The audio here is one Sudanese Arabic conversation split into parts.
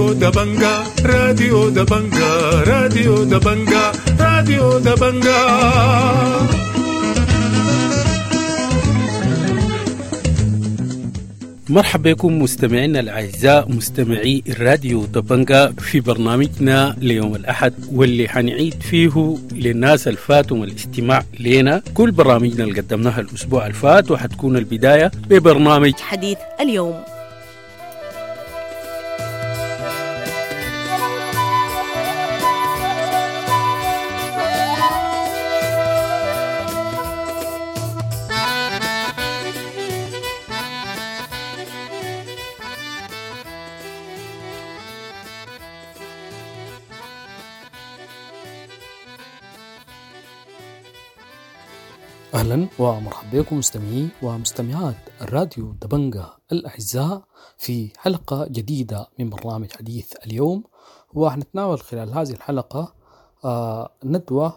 راديو دبنجا، راديو دبنجا، راديو دبنجا، راديو دبنجا. مرحبا بكم مستمعينا الأعزاء مستمعي الراديو دبنجا في برنامجنا ليوم الأحد، واللي حنعيد فيه للناس الفاتهم الاستماع لنا كل برامجنا اللي قدمناها الأسبوع الفات، وحتكون البداية ببرنامج حديث اليوم. أهلا ومرحبا بكم مستمعي ومستمعات الراديو دبنجا الأعزاء في حلقة جديدة من برنامج حديث اليوم. وحنتناول خلال هذه الحلقة ندوة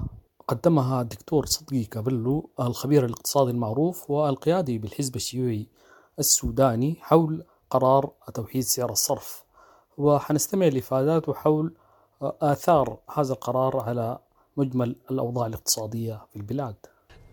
قدمها الدكتور صدقي كابلو الخبير الاقتصادي المعروف والقيادي بالحزب الشيوعي السوداني حول قرار توحيد سعر الصرف، وحنستمع لإفاداته حول آثار هذا القرار على مجمل الأوضاع الاقتصادية في البلاد.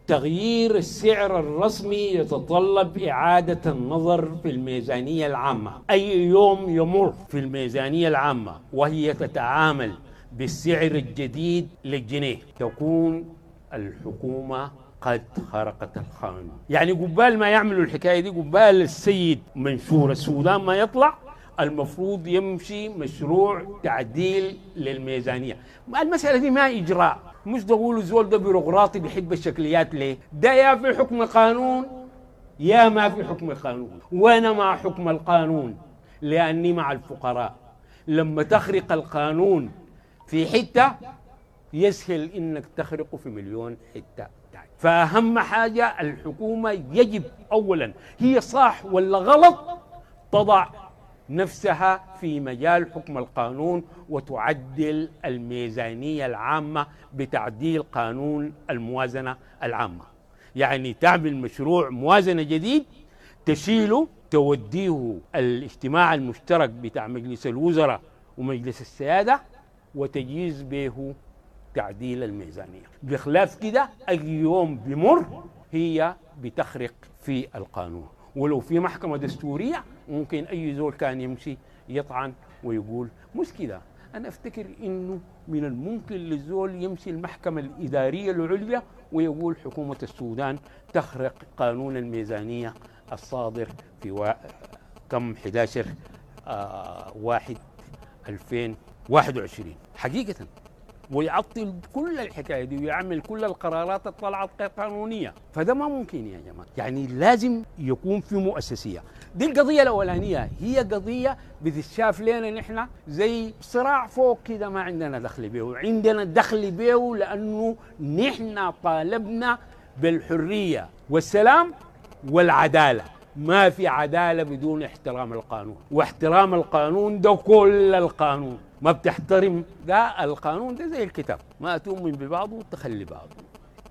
تغيير السعر الرسمي يتطلب إعادة النظر في الميزانية العامة. أي يوم يمر في الميزانية العامة وهي تتعامل بالسعر الجديد للجنيه تكون الحكومة قد خرقت القانون. يعني قبال ما يعملوا الحكاية دي، قبال السيد منشور السودان ما يطلع، المفروض يمشي مشروع تعديل للميزانية. المسألة دي ما إجراء، مش تقولوا زول ده بيروقراطي بيحب الشكليات. ليه؟ ده يا في حكم قانون يا ما في حكم قانون، وأنا مع حكم القانون لأني مع الفقراء. لما تخرق القانون في حتة يسهل إنك تخرقه في مليون حتة. فأهم حاجة الحكومة يجب أولا هي صح ولا غلط تضع نفسها في مجال حكم القانون وتعدل الميزانية العامة بتعديل قانون الموازنة العامة. يعني تعمل مشروع موازنة جديد تشيله توديه الاجتماع المشترك بتاع مجلس الوزراء ومجلس السيادة وتجيز به تعديل الميزانية. بخلاف كده أي يوم بمر هي بتخرق في القانون، ولو في محكمة دستورية ممكن أي زول كان يمشي يطعن ويقول مش كده. أنا أفتكر إنه من الممكن للزول يمشي المحكمة الإدارية العليا ويقول حكومة السودان تخرق قانون الميزانية الصادر في كم 11/1/2021 حقيقة، ويعطل كل الحكاية دي ويعمل كل القرارات اللي طلعت غير قانونية. فده ما ممكن يا جماعة، يعني لازم يكون في مؤسسية. دي القضية الأولانية، هي قضية بتتشاف لنا نحن زي صراع فوق كده ما عندنا دخل به. عندنا دخل به لأنه نحن طالبنا بالحرية والسلام والعدالة. ما في عدالة بدون احترام القانون، واحترام القانون ده كل القانون. ما بتحترم ده القانون ده زي الكتاب، ما تؤمن ببعضه وتخلي بعضه،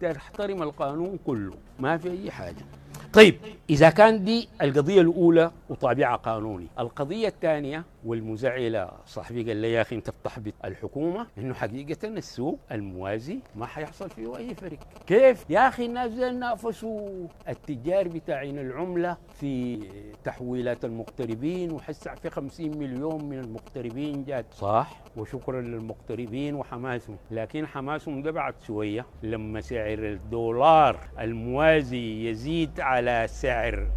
تحترم القانون كله، ما في أي حاجة. طيب إذا كان دي القضية الأولى وطابعها قانوني، القضية الثانية والمزعلة صاحبي قال لي يا أخي أنت بتحبط الحكومة، إنه حقيقة السوق الموازي ما حيحصل فيه أي فرق. كيف يا أخي الناس نافسوا التجار بتاعين العملة في تحويلات المغتربين، وحسع في 50 مليون من المغتربين جات، صح، وشكرا للمغتربين وحماسهم، لكن حماسهم ده بعد شوية لما سعر الدولار الموازي يزيد على سعر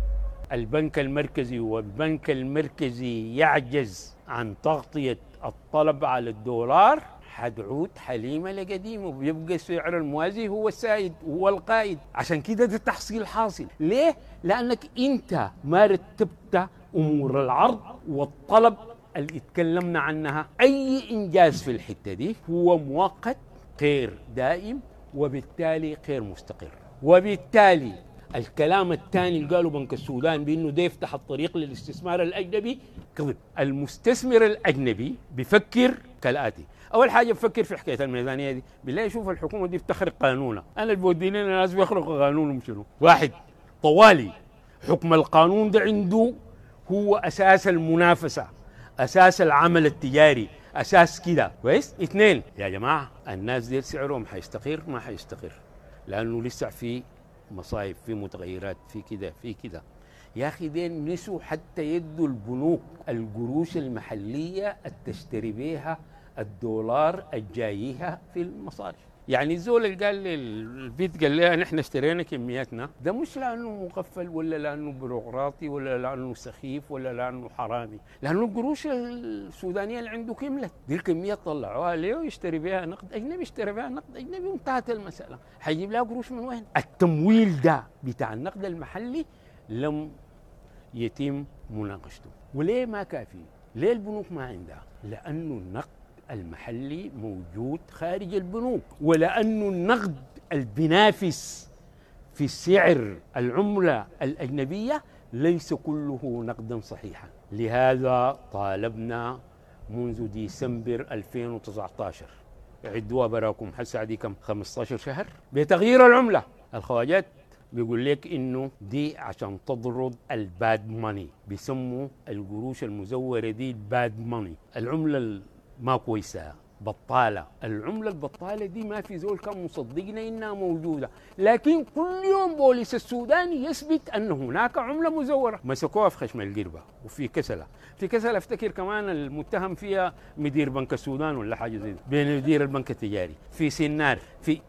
البنك المركزي، والبنك المركزي يعجز عن تغطية الطلب على الدولار، حتعود حليمة لقديمه، وبيبقى سعر الموازي هو السائد هو القائد. عشان كده ده التحصيل حاصل. ليه؟ لأنك أنت ما رتبت أمور العرض والطلب اللي اتكلمنا عنها. أي إنجاز في الحتة دي هو مؤقت غير دائم، وبالتالي غير مستقر. وبالتالي الكلام الثاني اللي قاله بنك السودان بأنه ده يفتح الطريق للاستثمار الأجنبي كذب. المستثمر الأجنبي بيفكر كالآتي: أول حاجة بفكر في حكاية الميزانية دي، بالله يشوف الحكومة دي بتخرق قانونها. أنا اللي بوديني الناس بيخرقوا قانونهم شنو؟ واحد طوالي حكم القانون ده عنده هو أساس المنافسة. اساس العمل التجاري، اساس كده. كويس؟ اثنين يا جماعة، الناس دي سعرهم حيستقر ما حيستقر، لانه لسه في مصايب، في متغيرات، في كده في كده. يا اخي دين نسوا حتى يدوا البنوك القروش المحلية التشتري بيها الدولار الجايها في المصارف. يعني الزول اللي قال للبيت قال لها نحن اشترينا كمياتنا، ده مش لانه مغفل ولا لانه بيروقراطي ولا لانه سخيف ولا لانه حرامي، لانه القروش السودانية اللي عنده كملت، دي الكمية طلعوها ليه ويشتري بها نقد اجنبي، اشتري بها نقد اجنبي وانتهت المسالة. حيجيب لها قروش من وين؟ التمويل ده بتاع النقد المحلي لم يتم مناقشته. وليه ما كافي؟ ليه البنوك ما عندها؟ لانه النقد المحلي موجود خارج البنوك، ولأنه النقد البنافس في سعر العملة الأجنبية ليس كله نقدا صحيحا. لهذا طالبنا منذ ديسمبر 2019، عدوها براكم حسع دي كم، 15 شهر، بتغيير العملة. الخواجات بيقول لك انه دي عشان تطرد ال bad money، بيسموا القروش المزورة دي ال bad money، العملة ما كويسة، بطالة. العملة البطالة دي ما في زول كان مصدقنا إنها موجودة، لكن كل يوم بوليس السوداني يثبت أن هناك عملة مزورة. مسكوها في خشم القربة وفي كسلة، في كسلة افتكر كمان المتهم فيها مدير بنك السودان ولا حاجة زي بين مدير البنك التجاري، في سنار، في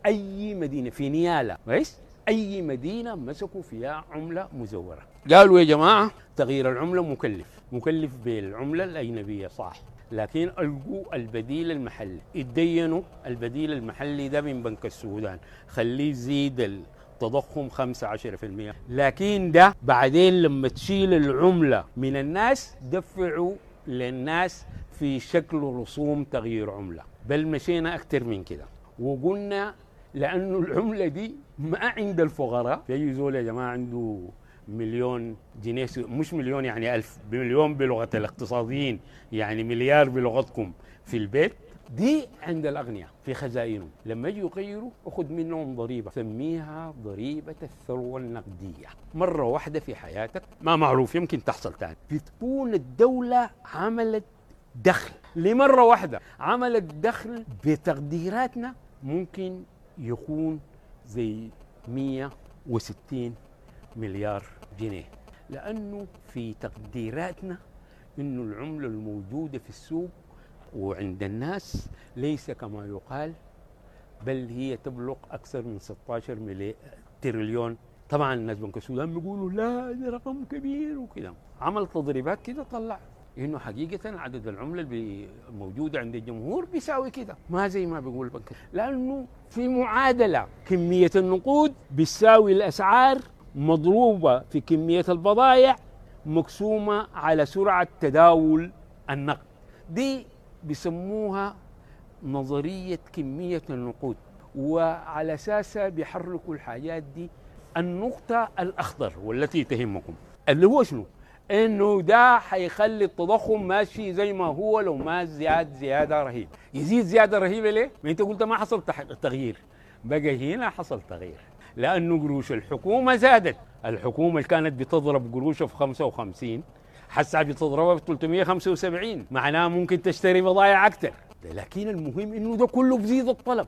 أي مدينة، في نيالا، كويس؟ أي مدينة مسكوا فيها عملة مزورة. قالوا يا جماعة تغيير العملة مكلف، مكلف بالعملة الأجنبية صح، لكن ألقوا البديل المحلي، اتدينوا البديل المحلي ده من بنك السودان، خليه يزيد التضخم 15%، لكن ده بعدين لما تشيل العملة من الناس دفعوا للناس في شكل رسوم تغيير عملة. بل مشينا أكثر من كده وقلنا لأنه العملة دي ما عند الفقراء. في أي زول يا جماعة عنده مليون جنيه، مش مليون يعني ألف، بمليون بلغة الاقتصاديين يعني مليار بلغتكم، في البيت دي عند الأغنياء في خزائنهم، لما يجوا يغيروا أخذ منهم ضريبة سميها ضريبة الثروة النقدية. مرة واحدة في حياتك ما معروف يمكن تحصل تاني، بتكون الدولة عملت دخل لمرة واحدة، عملت دخل بتقديراتنا ممكن يكون زي 160 مليار جنيه، لأنه في تقديراتنا إنه العملة الموجودة في السوق وعند الناس ليس كما يقال، بل هي تبلغ أكثر من 16 تريليون. طبعا الناس بنك السودان بيقولوا لا ده رقم كبير وكده، عمل تضريبات كده طلع إنه حقيقة عدد العملة اللي موجودة عند الجمهور بيساوي كده، ما زي ما بيقول البنك، لأنه في معادلة كمية النقود بتساوي الأسعار مضروبة في كمية البضائع مقسومة على سرعة تداول النقد. دي بيسموها نظرية كمية النقود، وعلى أساسها بيحركوا الحاجات دي. النقطة الأخضر والتي تهمكم اللي هو شنو؟ إنه ده حيخلي التضخم ماشي زي ما هو، لو ما زياد زيادة رهيبة. يزيد زيادة رهيبة ليه؟ ما أنت قلت ما حصل تغيير، بقى هنا حصل تغيير لأنه قروش الحكومة زادت. الحكومة اللي كانت بتضرب قروشها في 55 حسا بتضربها في 375، معناها ممكن تشتري بضائع أكثر. لكن المهم إنه ده كله بزيد الطلب،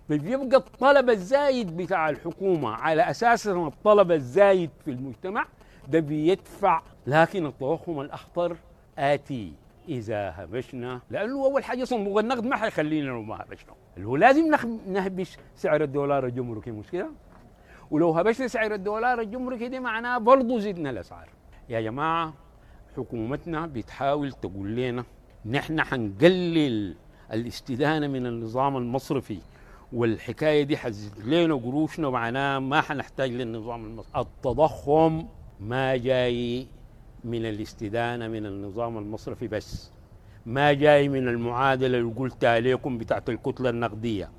بيبقى الطلب الزايد بتاع الحكومة على أساس الطلب الزايد في المجتمع ده بيدفع. لكن التضخم الأخطر آتي إذا هبشنا، لأنه أول حاجة صندوق النقد ما حيخلينا لو ما هبشنا، اللي هو لازم نهبش سعر الدولار الجمركي، مش كده؟ ولو هبشنا سعر الدولار الجمركي دي معناه برضه زدنا الأسعار. يا جماعة حكومتنا بتحاول تقول لنا نحن حنقلل الاستدانة من النظام المصرفي، والحكاية دي حزد لنا قروشنا، معناه ما حنحتاج للنظام المصرفي. التضخم ما جاي من الاستدانة من النظام المصرفي بس، ما جاي من المعادلة اللي قلت عليكم بتاعت الكتلة النقدية.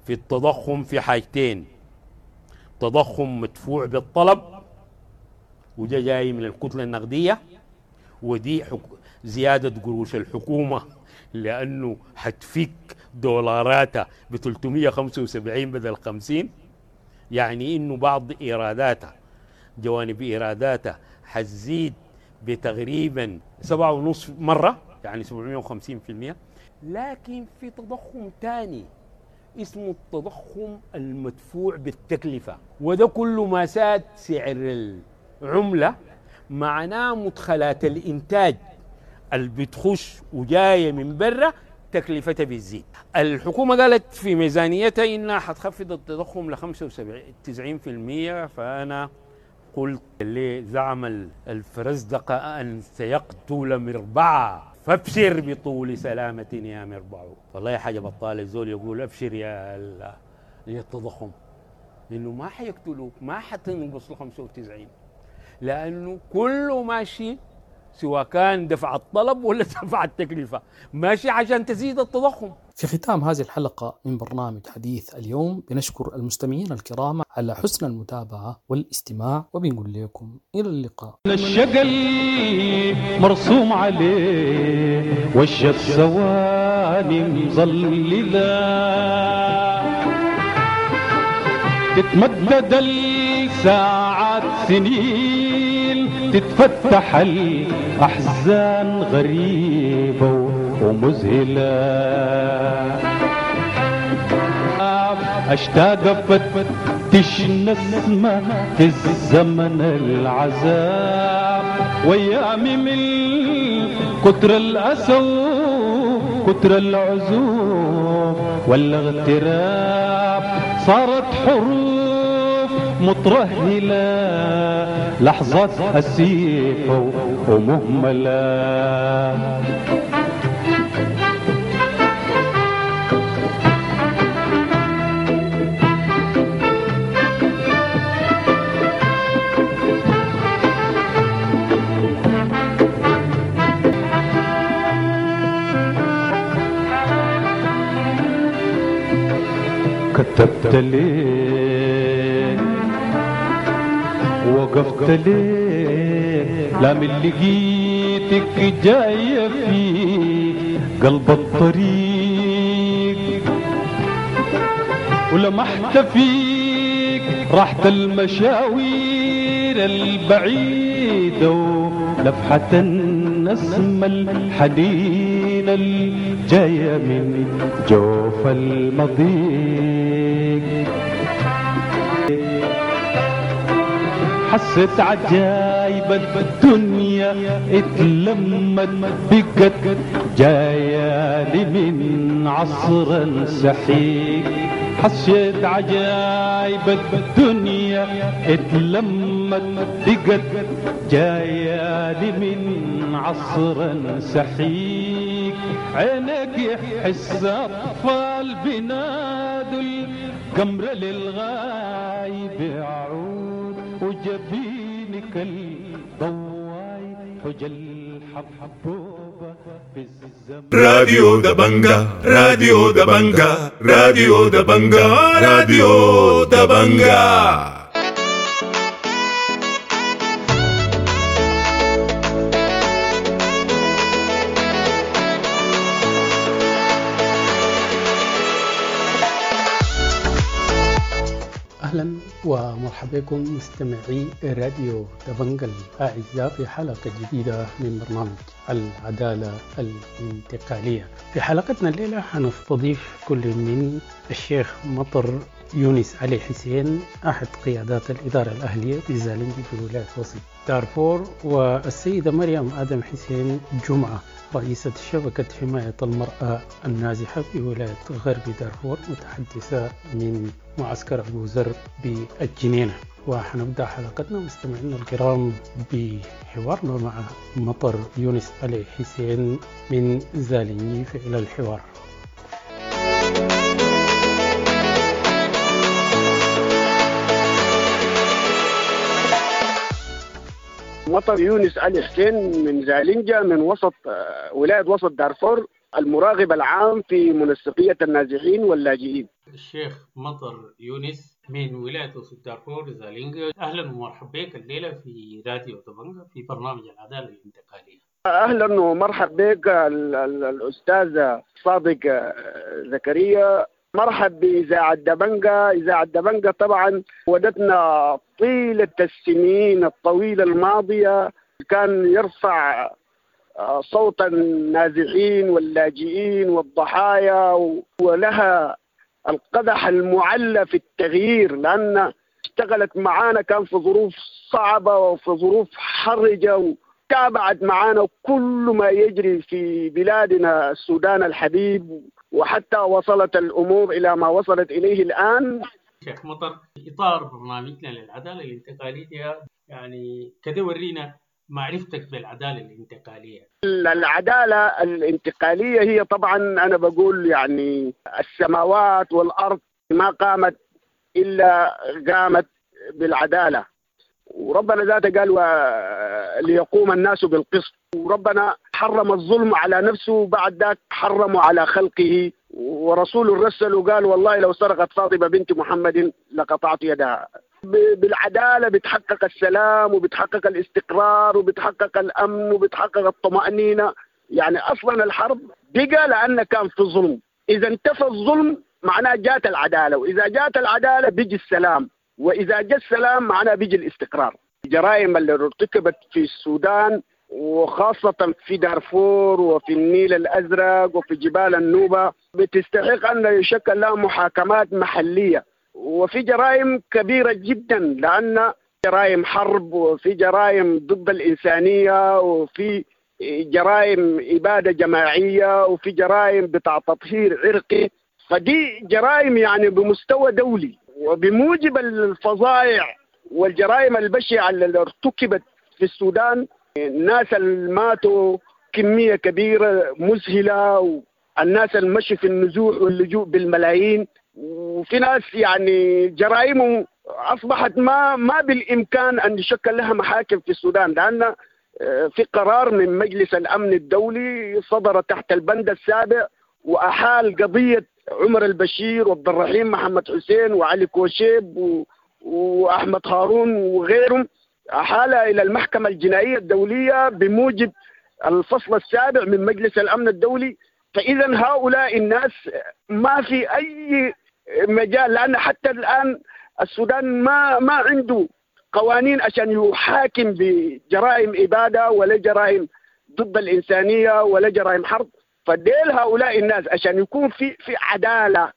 في التضخم في حاجتين: تضخم مدفوع بالطلب، وده جاي من الكتلة النقدية، ودي زيادة قروش الحكومة لأنه حتفك دولاراتها ب 375 بدل 50، يعني إنه بعض إيراداتها، جوانب إيراداتها حتزيد بتقريبا 7.5 مرة، يعني 750%. لكن في تضخم ثاني اسمه التضخم المدفوع بالتكلفة، وده كله ما ساد سعر العملة، معناه مدخلات الإنتاج اللي بتخش وجاية من برا تكلفتها بتزيد. الحكومة قالت في ميزانيتها إنها حتخفض التضخم ل 95%، فأنا قلت لزعم الفرزدق أن سيقتل مربعا فابشر بطول سلامة يا مربع. والله حاجة بطالة الزول يقول ابشر يا التضخم، لأنه ما حيقتلوك، ما حتنقص ل 95، لأنه كله ماشي سواء كان دفع الطلب ولا دفع التكلفة، ماشي عشان تزيد التضخم. في ختام هذه الحلقة من برنامج حديث اليوم بنشكر المستمعين الكرام على حسن المتابعة والاستماع، وبنقول لكم إلى اللقاء. الشقل مرسوم عليه وش الثواني مظللة، تتمدد الساعات سنين، تتفتح الأحزان غريبة ومذهلة. أشتاق أفتش نسمة في الزمن العذاب، وأيامي من كتر الأسى كتر العزوف والاغتراب صارت حروف مترهلة، لحظات أسيفة ومهملة. كتبت ليه وقفت ليه لا من لقيتك جاية في قلب الطريق، ولمحت فيك راحة المشاوير البعيدة ولفحة النسمة الحنينة الجاية من جوف المضيق. حسيت عجايب الدنيا اتلمت بقت جاية لي من عصر سحيق، حسيت عجايب الدنيا اتلمت بقت جاية لي من عصر سحيق. عينك يحس أطفال بنادوا القمر للغايب يعود، وجبينك الضواي حجل حبوبة في الزمن. راديو دبنجا، راديو دبنجا، راديو دبنجا، راديو دبنجا. أهلا ومرحبا بكم مستمعي راديو دبنجا الأعزاء في حلقة جديدة من برنامج العدالة الانتقالية. في حلقتنا الليلة حنستضيف كل من الشيخ مطر يونس علي حسين أحد قيادات الإدارة الأهلية بزالنجي في ولاية وسط دارفور، والسيدة مريم آدم حسين جمعة رئيسة شبكة حماية المرأة النازحة في ولاية غرب دارفور، متحدثة من معسكر أبو ذر بالجنينة. وحنبدأ حلقتنا مستمعينا الكرام بحوارنا مع مطر يونس علي حسين من زالنجي، إلى الحوار. مطر يونس علي حسين من زالنجا من وسط ولاية وسط دارفور، المراقب العام في منسقية النازحين واللاجئين. الشيخ مطر يونس من ولاية وسط دارفور زالنجا، أهلا ومرحبا بك الليلة في راديو دبنجا في برنامج العدالة الانتقالية. أهلا ومرحبا بك الأستاذ صادق زكريا، مرحب بإذاعة دبنجا. إذاعة دبنجا طبعا ودتنا طيلة السنين الطويلة الماضية كان يرفع صوت النازحين واللاجئين والضحايا، ولها القدح المعلى في التغيير، لأن اشتغلت معانا كان في ظروف صعبة وفي ظروف حرجة، وتابعت معانا كل ما يجري في بلادنا السودان الحبيب، وحتى وصلت الأمور إلى ما وصلت إليه الآن. شيخ مطر، إطار برنامجنا للعدالة الانتقالية، يعني كده ورينا معرفتك بالعدالة الانتقالية. العدالة الانتقالية هي طبعا أنا بقول يعني السماوات والأرض ما قامت إلا قامت بالعدالة، وربنا ذاته قال ليقوم الناس بالقسط، وربنا حرم الظلم على نفسه بعد ذاك حرمه على خلقه، ورسول الرسل وقال والله لو سرقت فاطمة بنت محمد لقطعت يدها. بالعدالة بتحقق السلام وبتحقق الاستقرار وبتحقق الأمن وبتحقق الطمأنينة. يعني أصلا الحرب بقى لأن كان في ظلم، إذا انتفى الظلم معناه جات العدالة، وإذا جات العدالة بيجي السلام، وإذا جاء السلام معناه بيجي الاستقرار. الجرائم اللي ارتكبت في السودان وخاصة في دارفور وفي النيل الأزرق وفي جبال النوبة بتستحق أن يشكل لها محاكمات محلية، وفي جرائم كبيرة جدا لأن جرائم حرب وفي جرائم ضد الإنسانية وفي جرائم إبادة جماعية وفي جرائم بتاع تطهير عرقي، فدي جرائم يعني بمستوى دولي. وبموجب الفظائع والجرائم البشعة اللي ارتكبت في السودان، الناس اللي ماتوا كمية كبيرة مذهلة، والناس اللي مشوا في النزوح واللجوء بالملايين، وفي ناس يعني جرائمهم أصبحت ما بالإمكان أن يشكل لها محاكم في السودان، لأن في قرار من مجلس الأمن الدولي صدر تحت البند السابع وأحال قضية عمر البشير وعبد الرحيم محمد حسين وعلي كوشيب وأحمد هارون وغيرهم، أحال إلى المحكمة الجنائية الدولية بموجب الفصل السابع من مجلس الأمن الدولي. فإذا هؤلاء الناس ما في أي مجال، لأن حتى الآن السودان ما عنده قوانين عشان يحاكم بجرائم إبادة ولا جرائم ضد الإنسانية ولا جرائم حرب. فديل هؤلاء الناس عشان يكون في عدالة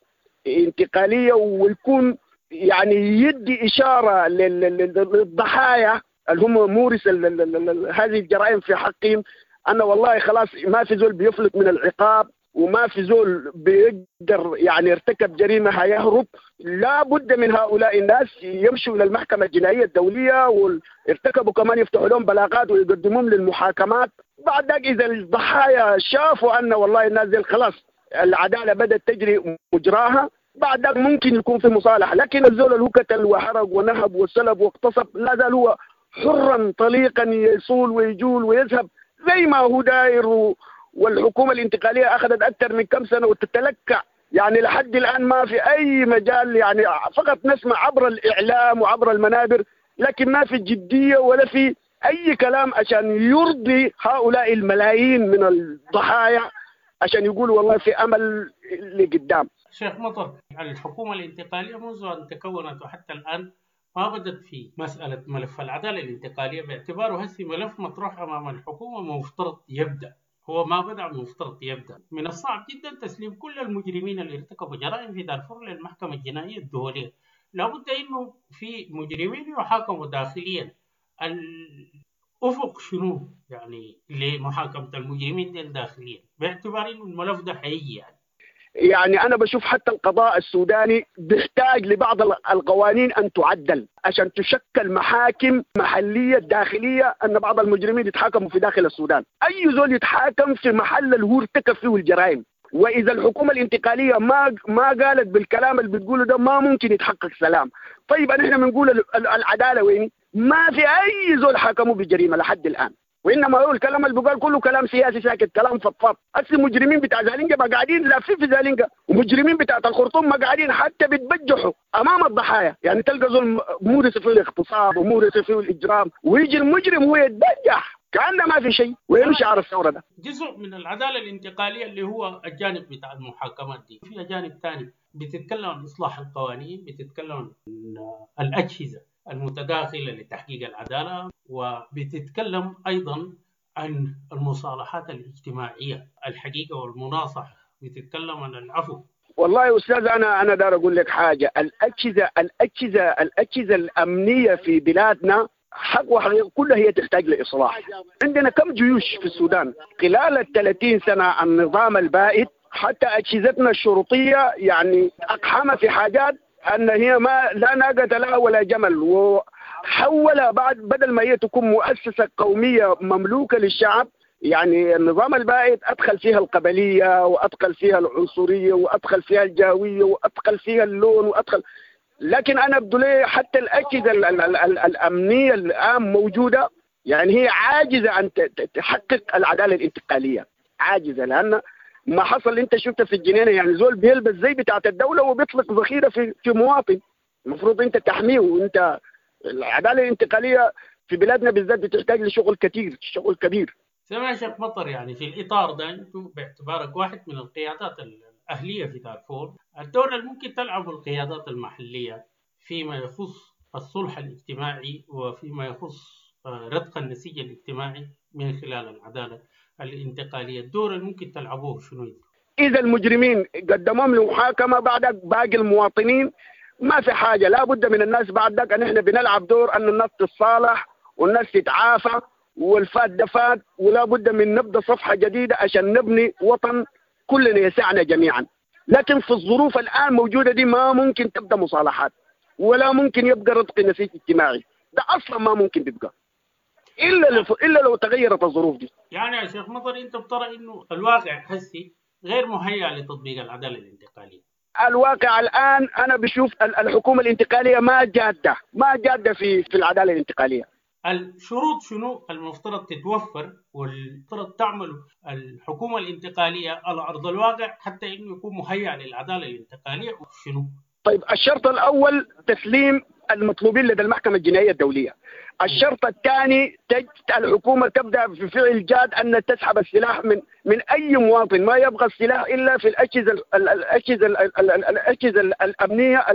انتقالية ويكون يعني يدي إشارة للضحايا اللي هم مورس هذه الجرائم في حقهم أن والله خلاص ما في زول بيفلت من العقاب وما في زول بيقدر يعني ارتكب جريمة هيهرب. لا بد من هؤلاء الناس يمشوا إلى المحكمة الجنائية الدولية، وارتكبوا كمان يفتحوا لهم بلاغات ويقدموهم للمحاكمات. بعد ذلك إذا الضحايا شافوا أن والله الناس دي خلاص العدالة بدأت تجري مجراها، بعد ذلك ممكن يكون في مصالحة. لكن الزول اللي هو قتل وحرق ونهب وسلب واغتصب لا زال هو حرا طليقا يصول ويجول ويذهب زي ما هو داير. والحكومة الانتقالية أخذت أكثر من كم سنة وتتلكع، يعني لحد الآن ما في أي مجال، يعني فقط نسمع عبر الإعلام وعبر المنابر، لكن ما في جدية ولا في أي كلام عشان يرضي هؤلاء الملايين من الضحايا عشان يقولوا والله في أمل لقدام. شيخ مطر، الحكومة الانتقالية منذ أن تكونت وحتى الآن ما بدت في مسألة ملف العدالة الانتقالية باعتباره هسي ملف مطروح أمام الحكومة مفترض يبدأ، هو ما بدأ مفترض يبدأ. من الصعب جدا تسليم كل المجرمين اللي ارتكبوا جرائم في دارفور للمحكمة الجنائية الدولية، لابد إنه في مجرمين يحاكموا داخليا. الأفق شنو يعني لمحاكمة المجرمين دي داخليا باعتبار إنه الملف ده حقيقي؟ يعني أنا بشوف حتى القضاء السوداني بيحتاج لبعض القوانين أن تعدل عشان تشكل محاكم محلية داخلية، أن بعض المجرمين يتحاكموا في داخل السودان، أي زول يتحاكم في محل اللي هو ارتكب فيه الجرائم. وإذا الحكومة الانتقالية ما قالت بالكلام اللي بتقوله ده ما ممكن يتحقق سلام. طيب نحن بنقول العدالة وين؟ ما في أي زول حاكموا بجريمة لحد الآن، وإنما هو الكلام اللي بقال كله كلام سياسي ساكت، كلام فضفاض. أصل مجرمين بتاع زالينجا ما قاعدين لافين في زالينجا، ومجرمين بتاع الخرطوم ما قاعدين حتى بيتبجحوا أمام الضحايا. يعني تلقى زول مورس فيه الاغتصاب ومورس فيه الإجرام، ويجي المجرم هو يتبجح كأنه ما في شيء ويمشي على الثورة. ده جزء من العدالة الانتقالية اللي هو الجانب بتاع المحاكمات دي. في جانب ثاني بتتكلم عن إصلاح القوانين، بتتكلم عن الأجهزة. المتداخلة لتحقيق العدالة، وبتتكلم أيضا عن المصالحات الاجتماعية الحقيقة والمناصحة، بتتكلم عن العفو. والله يا أستاذ أنا دار أقول لك حاجة، الأجهزة الأمنية في بلادنا حق وحقيقة كلها هي تحتاج لإصلاح. عندنا كم جيوش في السودان خلال 30 سنة النظام البائد، حتى أجهزتنا الشرطية يعني أقحم في حاجات أن هي ما لا ناقة لها ولا جمل، وحول بعد بدل ما هي تكون مؤسسة قومية مملوكة للشعب، يعني النظام البائد أدخل فيها القبلية وأدخل فيها العنصرية وأدخل فيها الجاوية وأدخل فيها اللون وأدخل. لكن أنا أبدو لي حتى الأجهزة الأمنية الآن موجودة يعني هي عاجزة عن تحقق العدالة الانتقالية، عاجزة. لأن ما حصل أنت شفته في الجنينة، يعني زول بيلبس زي بتاعة الدولة وبيطلق ذخيرة في مواطن، المفروض أنت تحميه. وأنت العدالة الانتقالية في بلادنا بالذات بتحتاج لشغل كثير، شغل كبير. سمع شيخ مطر، يعني في الإطار ده أنتم باعتبارك واحد من القيادات الأهلية في دارفور، الدور اللي ممكن تلعبه القيادات المحلية فيما يخص الصلح الاجتماعي وفيما يخص رتق النسيج الاجتماعي من خلال العدالة الانتقالية، الدور اللي ممكن تلعبوه شنو؟ إذا المجرمين قدموهم لمحاكمة بعدك باقي المواطنين ما في حاجة، لا بد من الناس بعدك أن إحنا بنلعب دور أن الناس تتصالح والناس تتعافى والفات دفات، ولا بد من نبدأ صفحة جديدة عشان نبني وطن كلنا يسعنا جميعا. لكن في الظروف الآن موجودة دي ما ممكن تبدأ مصالحات ولا ممكن يبقى رتق نسيج اجتماعي، ده أصلا ما ممكن تبقى إلا لو تغيرت الظروف دي. يعني يا شيخ مطر أنت بترى إنه الواقع حسي غير مهيأ لتطبيق العدالة الانتقالية؟ الواقع الآن أنا بشوف الحكومة الانتقالية ما جادة في العدالة الانتقالية. الشروط شنو المفترض تتوفر والمفترض تعمل الحكومة الانتقالية على أرض الواقع حتى إنه يكون مهيأ للعدالة الانتقالية شنو؟ طيب الشرط الأول تسليم المطلوبين لدى المحكمة الجنائية الدولية. الشرط الثاني الحكومة تبدأ في فعل جاد أن تسحب السلاح من أي مواطن، ما يبغى السلاح إلا في الأجهزة الأمنية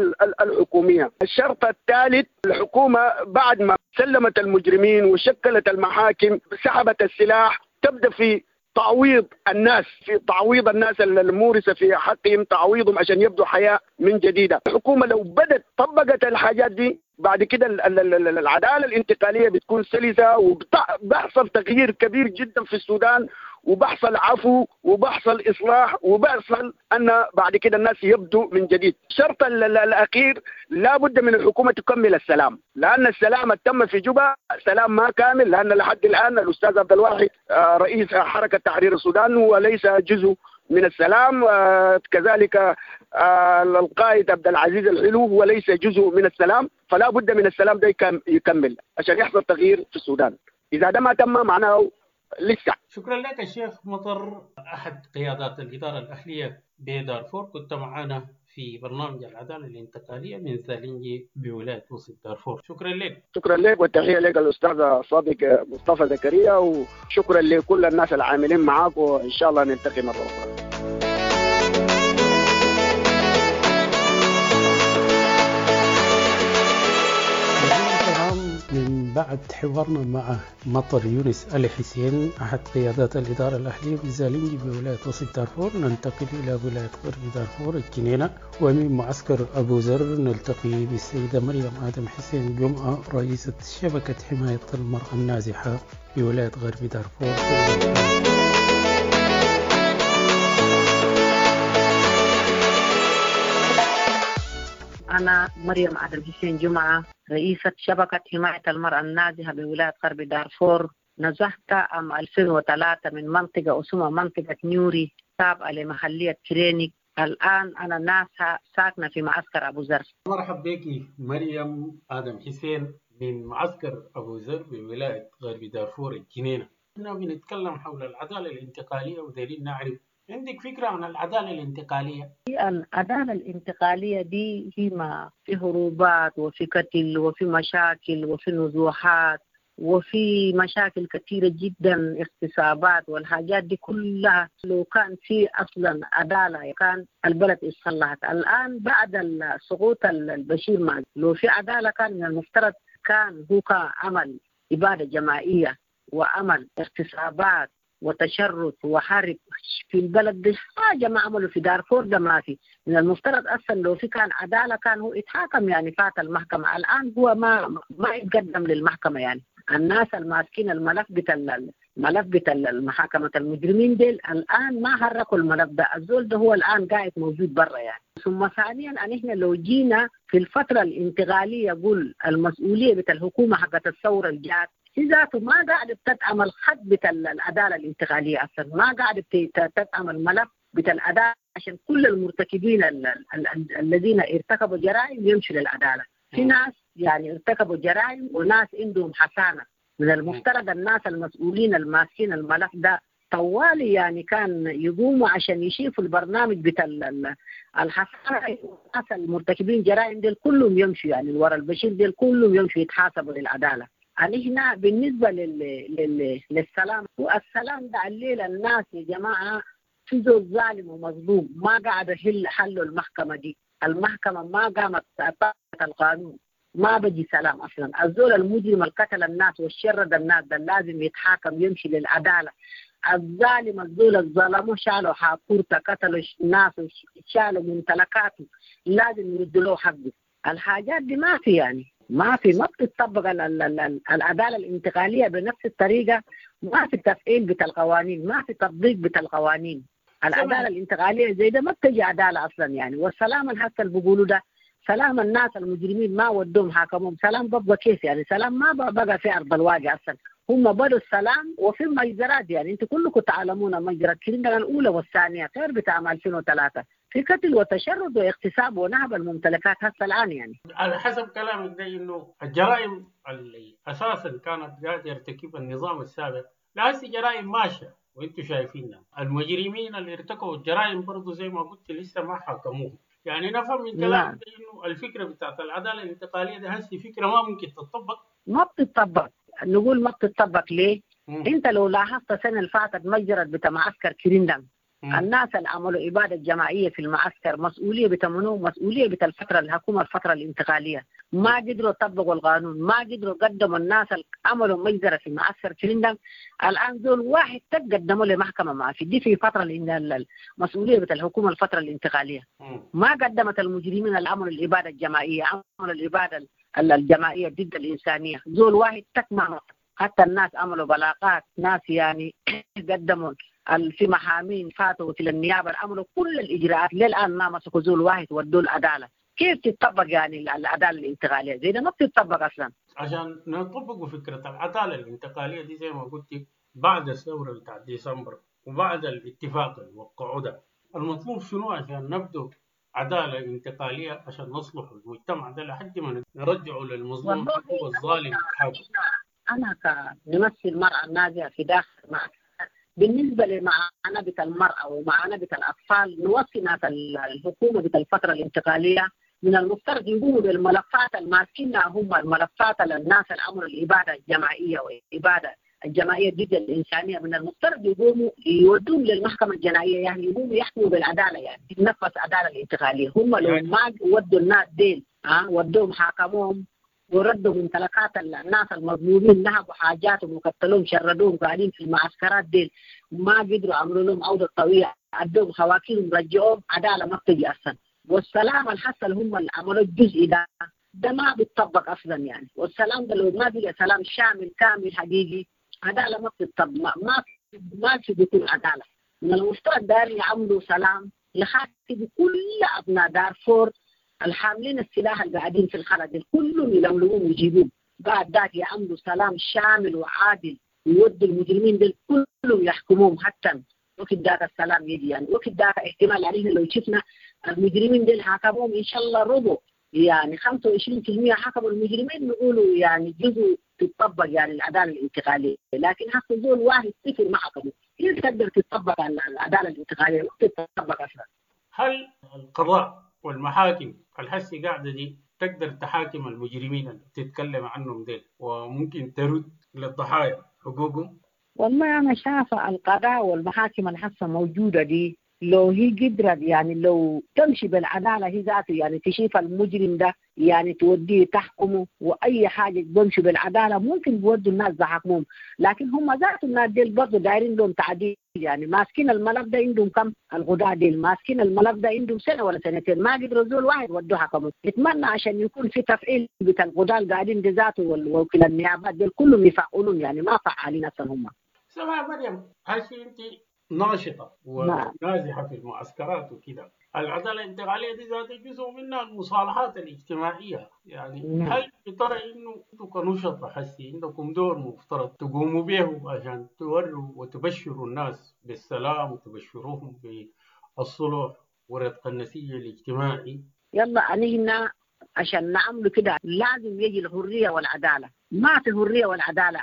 الحكومية. الشرط الثالث الحكومة بعد ما سلمت المجرمين وشكلت المحاكم سحبت السلاح تبدأ في تعويض الناس، في تعويض الناس المورثة في حقهم، تعويضهم عشان يبدوا حياة من جديدة. الحكومة لو بدت طبقت الحاجات دي بعد كده العدالة الانتقالية بتكون سلسة، وبحصل تغيير كبير جدا في السودان، وبحصل عفو وبحصل إصلاح، وبحصل أن بعد كده الناس يبدو من جديد. الشرط الأخير لا بد من الحكومة تكمل السلام، لأن السلام تم في جوبا سلام ما كامل، لأن لحد الآن الأستاذ عبد الواحد رئيس حركة تحرير السودان وليس جزء من السلام، كذلك القائد عبد العزيز الحلو هو ليس جزء من السلام، فلا بد من السلام ده يكمل عشان يحصل تغيير في السودان. إذا ده ما تم معناه لسه. شكرا لك الشيخ مطر، أحد قيادات الإدارة الأهلية بدارفور، كنت معنا في برنامج العدالة الانتقالية من زالينجي بولاية وسط دارفور. شكرا لك. شكرا لك، والتحية لك الأستاذ صادق مصطفى زكريا، وشكرا لكل الناس العاملين معاك، وإن شاء الله نلتقي مرة أخرى. من بعد حوارنا مع مطر يونس علي حسين أحد قيادات الإدارة الأهلية بزالينجي بولاية وسط دارفور، ننتقل إلى ولاية غرب دارفور الجنينة، ومن معسكر أبو ذر نلتقي بالسيدة مريم آدم حسين جمعة رئيسة شبكة حماية المرأة النازحة بولاية غرب دارفور. أنا مريم آدم حسين جمعة، رئيسة شبكة حماية المرأة النازحة بولاية غرب دارفور. نزحت عام 2003 من منطقة اسمها منطقة نيوري تابعة لمحلية كرينيك. الآن أنا نازحة ساكنة في معسكر أبو ذر. مرحبا بك مريم آدم حسين من معسكر أبو ذر بولاية غرب دارفور الجنينة. احنا بنتكلم حول العدالة الانتقالية ودايرين نعرف عندك فكرة عن العدالة الانتقالية؟ العدالة الانتقالية دي هي ما في هروبات وفي قتل وفي مشاكل وفي نزوحات، وفي مشاكل كثيرة جدا، اغتصابات والحاجات دي كلها. لو كان في أصلا عدالة كان البلد اتصلحت. الآن بعد سقوط البشير ما لو في عدالة كان من المفترض كان هو عمل إبادة جماعية وعمل اغتصابات وتشرد وحرب في البلد دي، حاجة ما عملوا في دارفور ده ما في. من المفترض أصلا لو في كان عدالة كان هو اتحاكم يعني، فات المحكمة. الآن هو ما يتقدم للمحكمة يعني. الناس الماسكين الملف بتاع المحاكمة المجرمين ديل الآن ما حركوا الملف ده، الزول ده هو الآن قاعد موجود برا يعني. ثم ثانيا أن إحنا لو جينا في الفترة الانتقالية قول المسؤولية بتاع الحكومة حقت الثورة الجات هي ذاته ما قاعدة تدعم الخط بتاع العدالة الانتقالية أصلا، ما قاعدة تدعم الملف بتاع العدالة عشان كل المرتكبين الذين ارتكبوا جرائم يمشوا للعدالة. في ناس يعني ارتكبوا جرائم وناس عندهم حسانة. من المفترض الناس المسؤولين الماسكين الملف ده طوالي يعني كان يقوموا عشان يشوفوا البرنامج بتاع الحسانة، والناس المرتكبين جرائم ديل كلهم يمشوا يعني ورا البشير ديل كلهم يمشوا يتحاسبوا للعدالة. يعني هنا بالنسبة للسلام، والسلام ده الليلة الناس يا جماعة في زول ظالم ومظلوم ما قاعد يحل حلوا المحكمة دي، المحكمة ما قامت طبقت القانون، ما بجي سلام أصلا. الزول المجرم اللي قتل الناس والشرد الناس ده لازم يتحاكم يمشي للعدالة. الظالم الزول الظلموا شالوا حاكورته، قتلوا الناس شالوا ممتلكاته، لازم يردوا له حقه. الحاجات دي ما في يعني، ما في، ما بتطبق العدالة الانتقالية بنفس الطريقة، ما في تفعيل بتاع القوانين، ما في تطبيق بتاع القوانين. العدالة الانتقالية زي ده ما بتجي عدالة أصلا يعني. والسلام الحتى اللي بيقولوا ده سلام الناس المجرمين ما ودوهم حاكمهم، سلام ببقى كيف يعني؟ سلام ما بقى في أرض الواقع أصلا. هم بدوا السلام وفي مجزرات يعني، انتوا كلكم تعلمون مجزرة كرندان الأولى والثانية غير بتاع 2003 في قتل وتشرد واغتصاب ونهب الممتلكات هسه الآن يعني. على حسب كلامك ده إنه الجرائم اللي أساسا كانت قاعدة يرتكبها النظام السابق لا هسه جرائم ماشية وانتم شايفينها. المجرمين اللي ارتكبوا الجرائم برضه زي ما قلت لسه ما حاكموهم. يعني نفهم من كلامك انه الفكرة بتاعت العدالة الانتقالية ده هسه فكرة ما ممكن تطبق. ما بتطبق، نقول ما بتطبق ليه؟ انت لو لاحظت السنة اللي فاتت مجزرة بتاع معسكر كرندان، الناس اللي عملوا ابادة جماعية في المعسكر مسؤولية بتمنوه، مسؤولية بتاع الفترة الحكومة الفترة الانتقالية، ما قدروا يطبقوا القانون، ما قدروا قدموا الناس اللي عملوا مجزرة في معسكر كرندان. الان دول واحد تقدموا لمحكمة ما في دي في فترة المسؤولية بتاع الحكومة الفترة الانتقالية. ما قدمت المجرمين اللي عملوا الابادة الجماعية، عملوا الابادة الجماعية ضد الانسانية، زول واحد تكمل. حتى الناس عملوا بلاغات، ناس يعني قدموا في محامين فاتوا في النيابة، عملوا كل الاجراءات، للان ما مسكوا زول واحد ودوا العدالة. كيف تطبق يعني العدالة الانتقالية زي ده؟ ما بتطبق اصلا. عشان نطبقوا فكرة العدالة الانتقالية دي زي ما قلت بعد الثورة بتاع ديسمبر وبعد الاتفاق اللي وقعوه ده، المطلوب شنو عشان نبدو عدالة انتقالية عشان نصلح المجتمع ده لحد ما نرجعه للمظلوم حقه والظالم حقه؟ أنا كممثل المرأة النازحة في داخل معسكر، بالنسبة لمعاناة المرأة ومعاناة الأطفال، نوصي ناس الحكومة بتاع الفترة الانتقالية من المفترض يقوموا بالملفات الماسكينها هم، الملفات للناس اللي عملوا الإبادة الجماعية والإبادة الجماعية ضد الإنسانية، من المفترض يقوموا يودوهم للمحكمة الجنائية، يعني يقوموا يحكموا بالعدالة، يعني تنفذ عدالة الانتقالية. هم لو ما ودوا الناس ديل ودوهم حاكموهم وردوا ممتلكات الناس المظلومين، نهبوا حاجاتهم وقتلوهم شردوهم قاعدين في المعسكرات ديل، ما قدروا عملوا لهم عودة طويلة، أدوهم خواكيرهم رجعوهم، عدالة ما بتجي أصلا. والسلام الحصل هم اللي عملوا الجزء ده ما بيتطبق أصلا يعني. والسلام ده لو ما بقى سلام شامل كامل حقيقي، عدالة ما بتطبق، ما في بيكون عدالة. من المفترض داير يعملوا سلام يخاطب كل أبناء دارفور الحاملين السلاح اللي قاعدين في الخلد كلهم يلملموهم ويجيبوهم، بعد ذاك يعملوا سلام شامل وعادل ويودوا المجرمين دول كلهم يحكموهم حتى وقت ذاك السلام يجي يعني. وقت ذاك احتمال عليه لو شفنا المجرمين دول حكموهم ان شاء الله ربع يعني 25% حكموا المجرمين، نقولوا يعني جزء تطبق يعني العدالة الانتقالية، لكن حتى زول واحد صفر ما حكموا، كيف تقدر تطبق العدالة الانتقالية؟ ما تطبق اصلا. هل القضاء والمحاكم الحسي قاعدة دي تقدر تحاكم المجرمين اللي بتتكلم عنهم ديل، وممكن ترد للضحايا حقوقهم؟ والله أنا شايفة القضاء والمحاكم الحاسة موجودة دي لو هي قدرت يعني لو تمشي بالعدالة هي ذاته، يعني تشوف المجرم ده يعني توديه تحكمه وأي حاجة بمشي بالعدالة ممكن بيودوا الناس بحكمهم، لكن هم ذاته الناس ديل برضه دايرين لهم تعديل. يعني ماسكين الملف ده عندهم كم الغداء ديل ماسكين الملف ده عندهم سنة ولا سنتين ما قدروا زول واحد ودوه حكمه. نتمنى عشان يكون في تفعيل بتاع الغداء القاعدين دي ذاته ووكيل النيابات ديل كلهم يفعلون، يعني ما فعالين أصلا هم. سماح مريم، هسي أنت ناشطة ونازحة في المعسكرات وكده، العدالة الانتقالية دي ذات جزء منها المصالحات الاجتماعية، يعني هل بترى إنه أنتم كنشطة حسي عندكم دور مفترض تقوموا به عشان توروا وتبشروا الناس بالسلام وتبشروهم بالصلح ورتق النسيج الاجتماعي؟ يلا أنا عشان نعمل كده لازم يجي الحرية والعدالة. ما في حرية والعدالة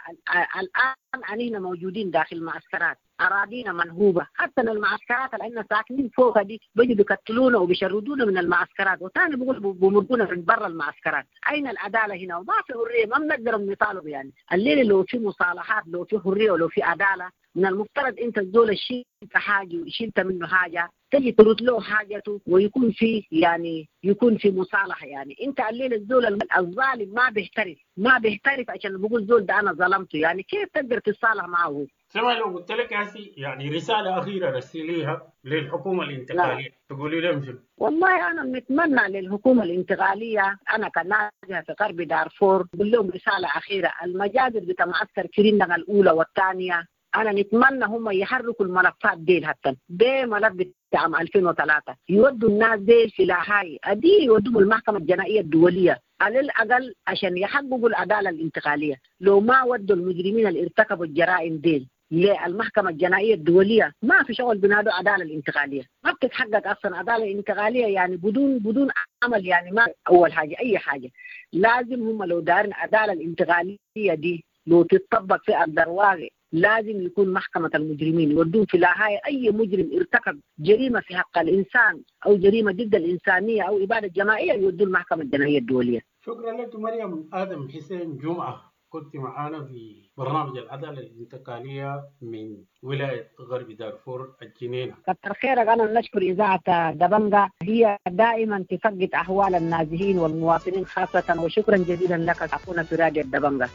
الآن أننا موجودين داخل معسكرات، أراضينا منهوبة، حتى المعسكرات اللي احنا ساكنين فوقها دي بيجوا بيقتلونا وبيشردونا من المعسكرات، وثاني بيقول بمرقونا من برا المعسكرات. أين العدالة هنا؟ وما في حرية، ما بنقدر نطالب. يعني الليلة لو في مصالحات، لو في حرية ولو في عدالة، من المفترض أنت الزول شلت حاجة وشلت منه حاجة تجي ترد له حاجته ويكون في يعني يكون في مصالحة. يعني أنت الليلة الزول الظالم ما بيحترف، ما بيحترف عشان بقول زول ده أنا ظلمته، يعني كيف تقدر تتصالح معه؟ سمع لو قلت لك هسي يعني رسالة أخيرة رسليها للحكومة الانتقالية تقولي لهم شنو؟ والله أنا بنتمنى للحكومة الانتقالية، أنا كناجحة في غرب دارفور بقول لهم رسالة أخيرة، المجازر بتاع معسكر كرينغ الأولى والثانية أنا نتمنى هم يحركوا الملفات ديل، حتى ده ملف بتاع عام 2003 يودوا الناس ديل في لاهاي أدي يودوا المحكمة الجنائية الدولية على الأقل عشان يحققوا العدالة الانتقالية. لو ما ودوا المجرمين اللي ارتكبوا الجرائم ديل للمحكمة الجنائية الدولية ما في شغل بنادوا عدالة الانتقالية، ما بتتحقق أصلا عدالة انتقالية يعني بدون عمل. يعني ما أول حاجة أي حاجة لازم هم لو دارين عدالة الانتقالية دي لو تتطبق في أرض الواقع لازم يكون محكمة المجرمين يودون في لاهاي أي مجرم ارتكب جريمة في حق الإنسان أو جريمة ضد الإنسانية أو إبادة جماعية يودون المحكمة الجنائية الدولية. شكرا لك مريم آدم حسين جمعة، كنت معانا في برنامج العدالة الانتقالية من ولاية غرب دارفور الجنينة. كتر خيرك. أنا نشكر إذاعة دبنجة، هي دائما تفقد أحوال النازحين والمواطنين خاصة، وشكرا جزيلا لك أخونا في راديو دبنجة.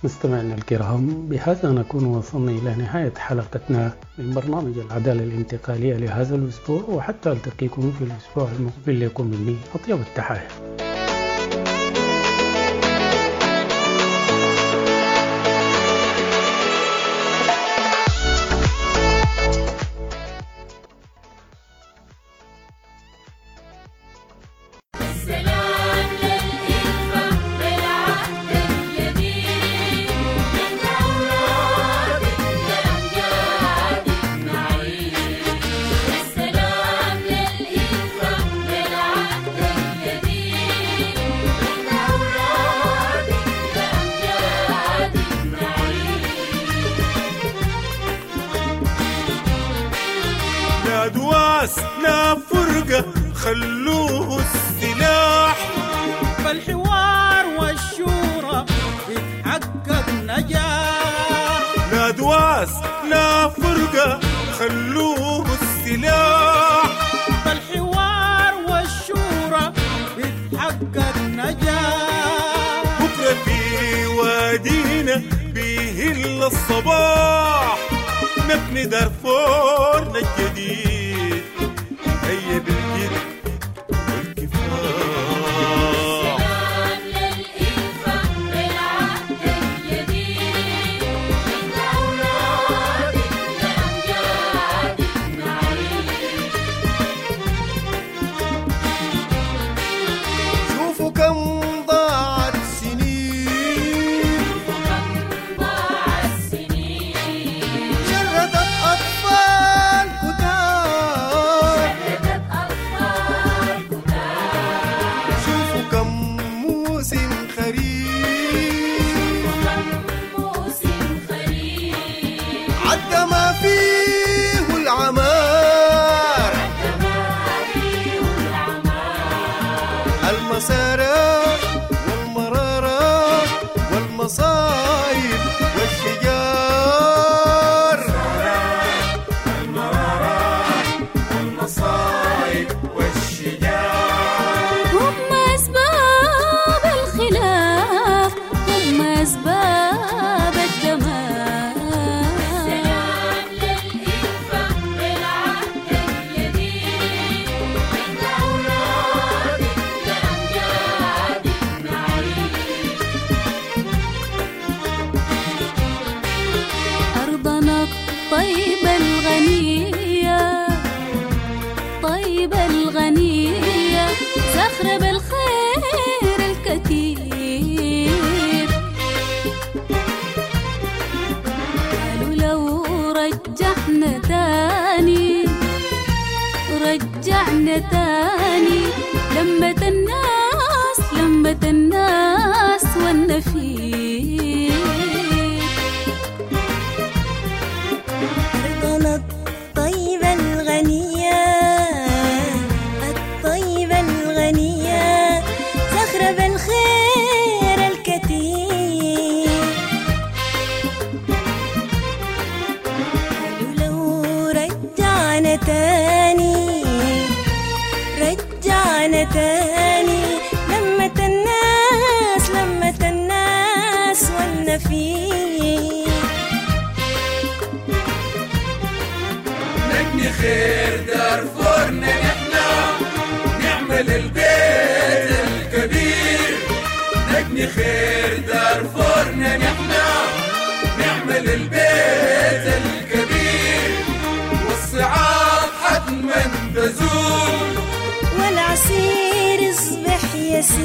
مستمعينا الكرام، بهذا نكون وصلنا إلى نهاية حلقتنا من برنامج العدالة الانتقالية لهذا الأسبوع، وحتى ألتقيكم في الأسبوع المقبل لكم مني أطيب التحايا. لا فرقة خلوه السلاح، فالحوار والشورى بيتحقق نجاح. لا دواس لا فرقة خلوه السلاح، فالحوار والشورى بيتحقق نجاح. بكرة في وادينا بيهل الصباح، نبني دارفورنا الجديد هيا بالجد والكفاح. السلام للإلفة بالعهد الجديد، من أولاد لأمجاد نعيد. شوفوا كم ضاعت سنين، شوفوا كم ضاعت سنين، شردت أطفال. رجعنا تاني لمة الناس، لمة الناس والنفير. أرضنا الطيبة الغنية، الطيبة الغنية، زخرة بالخير الكثير. قالوا لو رجعنا تاني، رجعنا تاني لمة الناس، لمة الناس والنفير. نبني خير دارفورنا نحنا، نعمل البيت الكبير. نبني خير دارفورنا نحنا، نعمل البيت الكبير، والصعاب حتما تزول، والعسير يصبح يسير.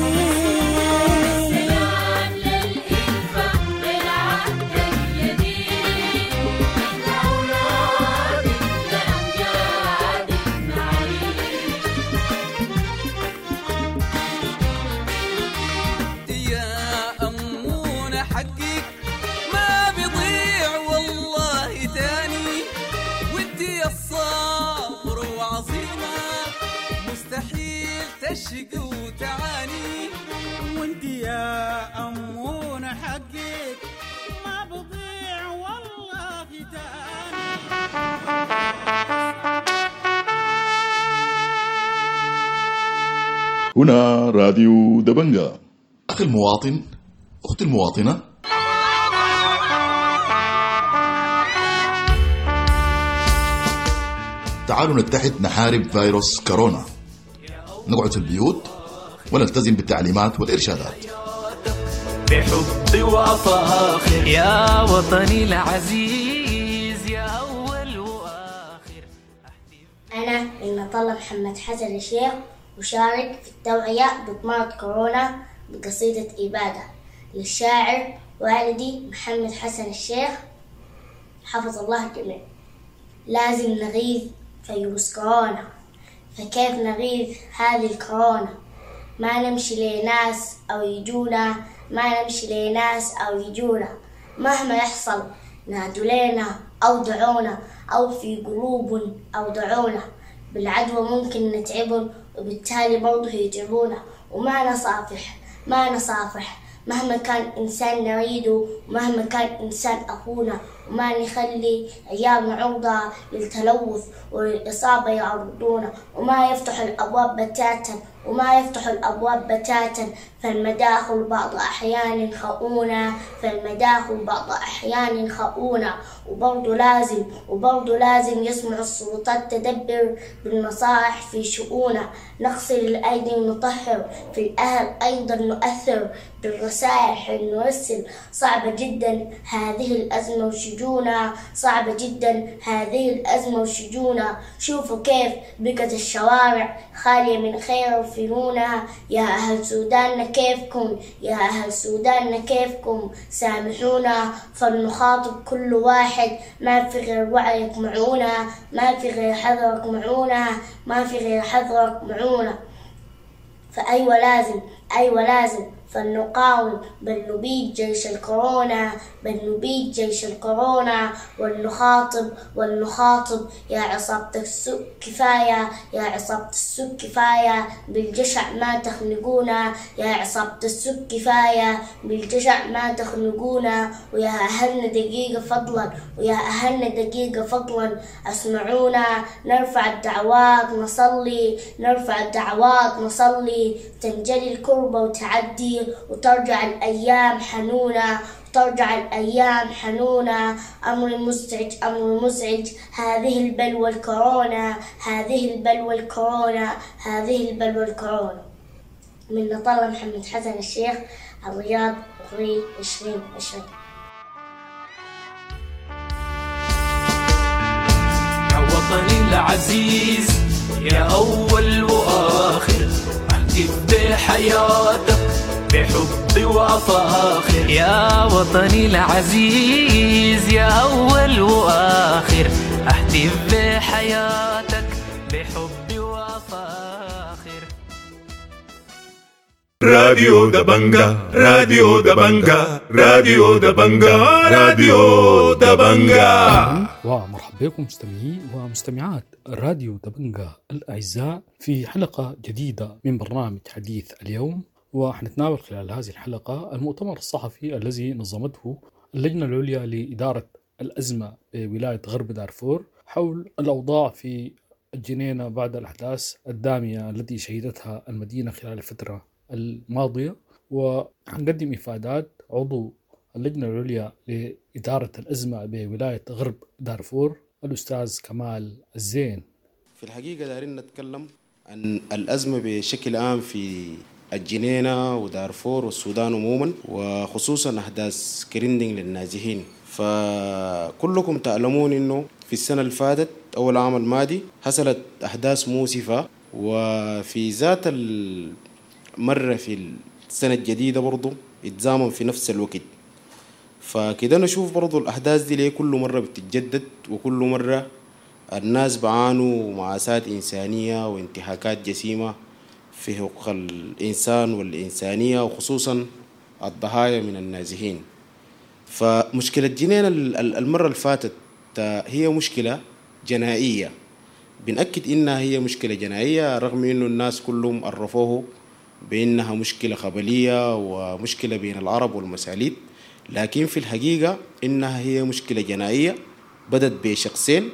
سلام للإلفة بالعهد الجديد، نحن أولادك لأمجادك نعيد. يا أمونة حقك ما بيضيع والله تاني، وانت يا الصابر وعظيمة مستحيل تشقي وتعاني. وانت يا أمونة حقك ما بضيع والله تاني. هنا راديو دبنجا. أخي المواطن، أختي المواطنة، تعالوا نتحد نحارب فيروس كورونا. نقعد في البيوت ونلتزم بالتعليمات والإرشادات. بحبي وأفاخر يا وطني العزيز، يا أول وآخر. أنا من طلب محمد حسن الشيخ، وشارك في التوعية ضد مرض كورونا بقصيدة إبادة للشاعر والدي محمد حسن الشيخ، حفظ الله الجميع. لازم نغيظ فيروس كورونا، فكيف نغيظ هذه الكورونا؟ ما نمشي لناس أو يجونا، ما نمشي لناس أو يجونا، مهما يحصل نادوا لنا أو دعونا، أو في قلوب أو دعونا. بالعدوى ممكن نتعبهم وبالتالي برضه يتعبونا. وما نصافح، ما نصافح مهما كان إنسان نريده، ومهما كان إنسان أخونا. وما نخلي عيالنا عرضة للتلوث وللإصابة يعرضونا. وما يفتح الأبواب بتاتا، وما يفتح الأبواب بتاتا، فالمداخل بعض أحيان خؤونة، فالمداخل بعض أحيان خؤونة. وبرضه لازم، وبرضه لازم يسمع السلطات تدبر بالنصائح في شؤونة. نغسل الأيدي ونطهر، في الأهل أيضا نؤثر بالرسائل نرسل. صعبة جدا هذه الأزمة وشجونة، صعبة جدا هذه الأزمة وشجونة. شوفوا كيف بقت الشوارع خالية من خير وفنونة. يا أهل سوداننا كيفكم، يا أهل سوداننا كيفكم، سامحونا فلنخاطب كل واحد. ما في غير وعيك معونا، ما في غير حذرك معونا، ما في غير حذرك معونا. فأيوة لازم، أيوة لازم فلنقاوم، بل نبيد جيش الكورونا، بل نبيد جيش الكورونا. ولنخاطب، ولنخاطب يا عصابة السوء كفاية، يا عصابة السوء كفاية، بالجشع ما تخنقونا، يا عصابة السوء كفاية، بالجشع ما تخنقونا. ويا أهلنا دقيقة فضلا، ويا أهلنا دقيقة فضلا أسمعونا. نرفع الدعوات نصلي، نرفع الدعوات نصلي، تنجلي الكربة وتعدي، وترجع الأيام حنونة، ترجع الأيام حنونة. أمر مزعج، أمر مزعج، هذه البلوى الكورونا، هذه البلوى الكورونا، هذه البلوى الكورونا. من نطلة محمد حسن الشيخ، الرياض، أبريل 2020. يا وطني العزيز، يا أول وآخر، أهتف بحياتك بحبي وأفاخر. يا وطني العزيز، يا أول وآخر، أهتف بحياتك بحبي وأفاخر. راديو دبنجا، راديو دبنجا، راديو دبنجا، راديو دبنجا. أهلاً ومرحبا بكم مستمعي ومستمعات راديو دبنجا الأعزاء في حلقة جديدة من برنامج حديث اليوم. وحنتناول خلال هذه الحلقة المؤتمر الصحفي الذي نظمته اللجنة العليا لإدارة الأزمة بولاية غرب دارفور حول الأوضاع في الجنينة بعد الأحداث الدامية التي شهدتها المدينة خلال الفترة الماضية. وحنقدم إفادات عضو اللجنة العليا لإدارة الأزمة بولاية غرب دارفور الأستاذ كمال الزين. في الحقيقة دارين نتكلم عن الأزمة بشكل عام في الجنينة ودارفور والسودان عموما، وخصوصا أحداث كريندينج للنازحين. فكلكم تعلمون أنه في السنة اللي فاتت أو العام الماضي حصلت أحداث مؤسفة، وفي ذات المرة في السنة الجديدة برضو اتزامن في نفس الوقت. فكده نشوف برضو الأحداث دي ليه كل مرة بتتجدد، وكل مرة الناس بعانوا مآساة إنسانية وانتهاكات جسيمة في حقوق الإنسان والإنسانية، وخصوصا الضحايا من النازحين. فمشكلة جنينة المرة اللي فاتت هي مشكلة جنائية، بنأكد إنها هي مشكلة جنائية رغم إنه الناس كلهم عرفوه بإنها مشكلة قبلية ومشكلة بين العرب والمساليت، لكن في الحقيقة إنها هي مشكلة جنائية بدت بشخصين،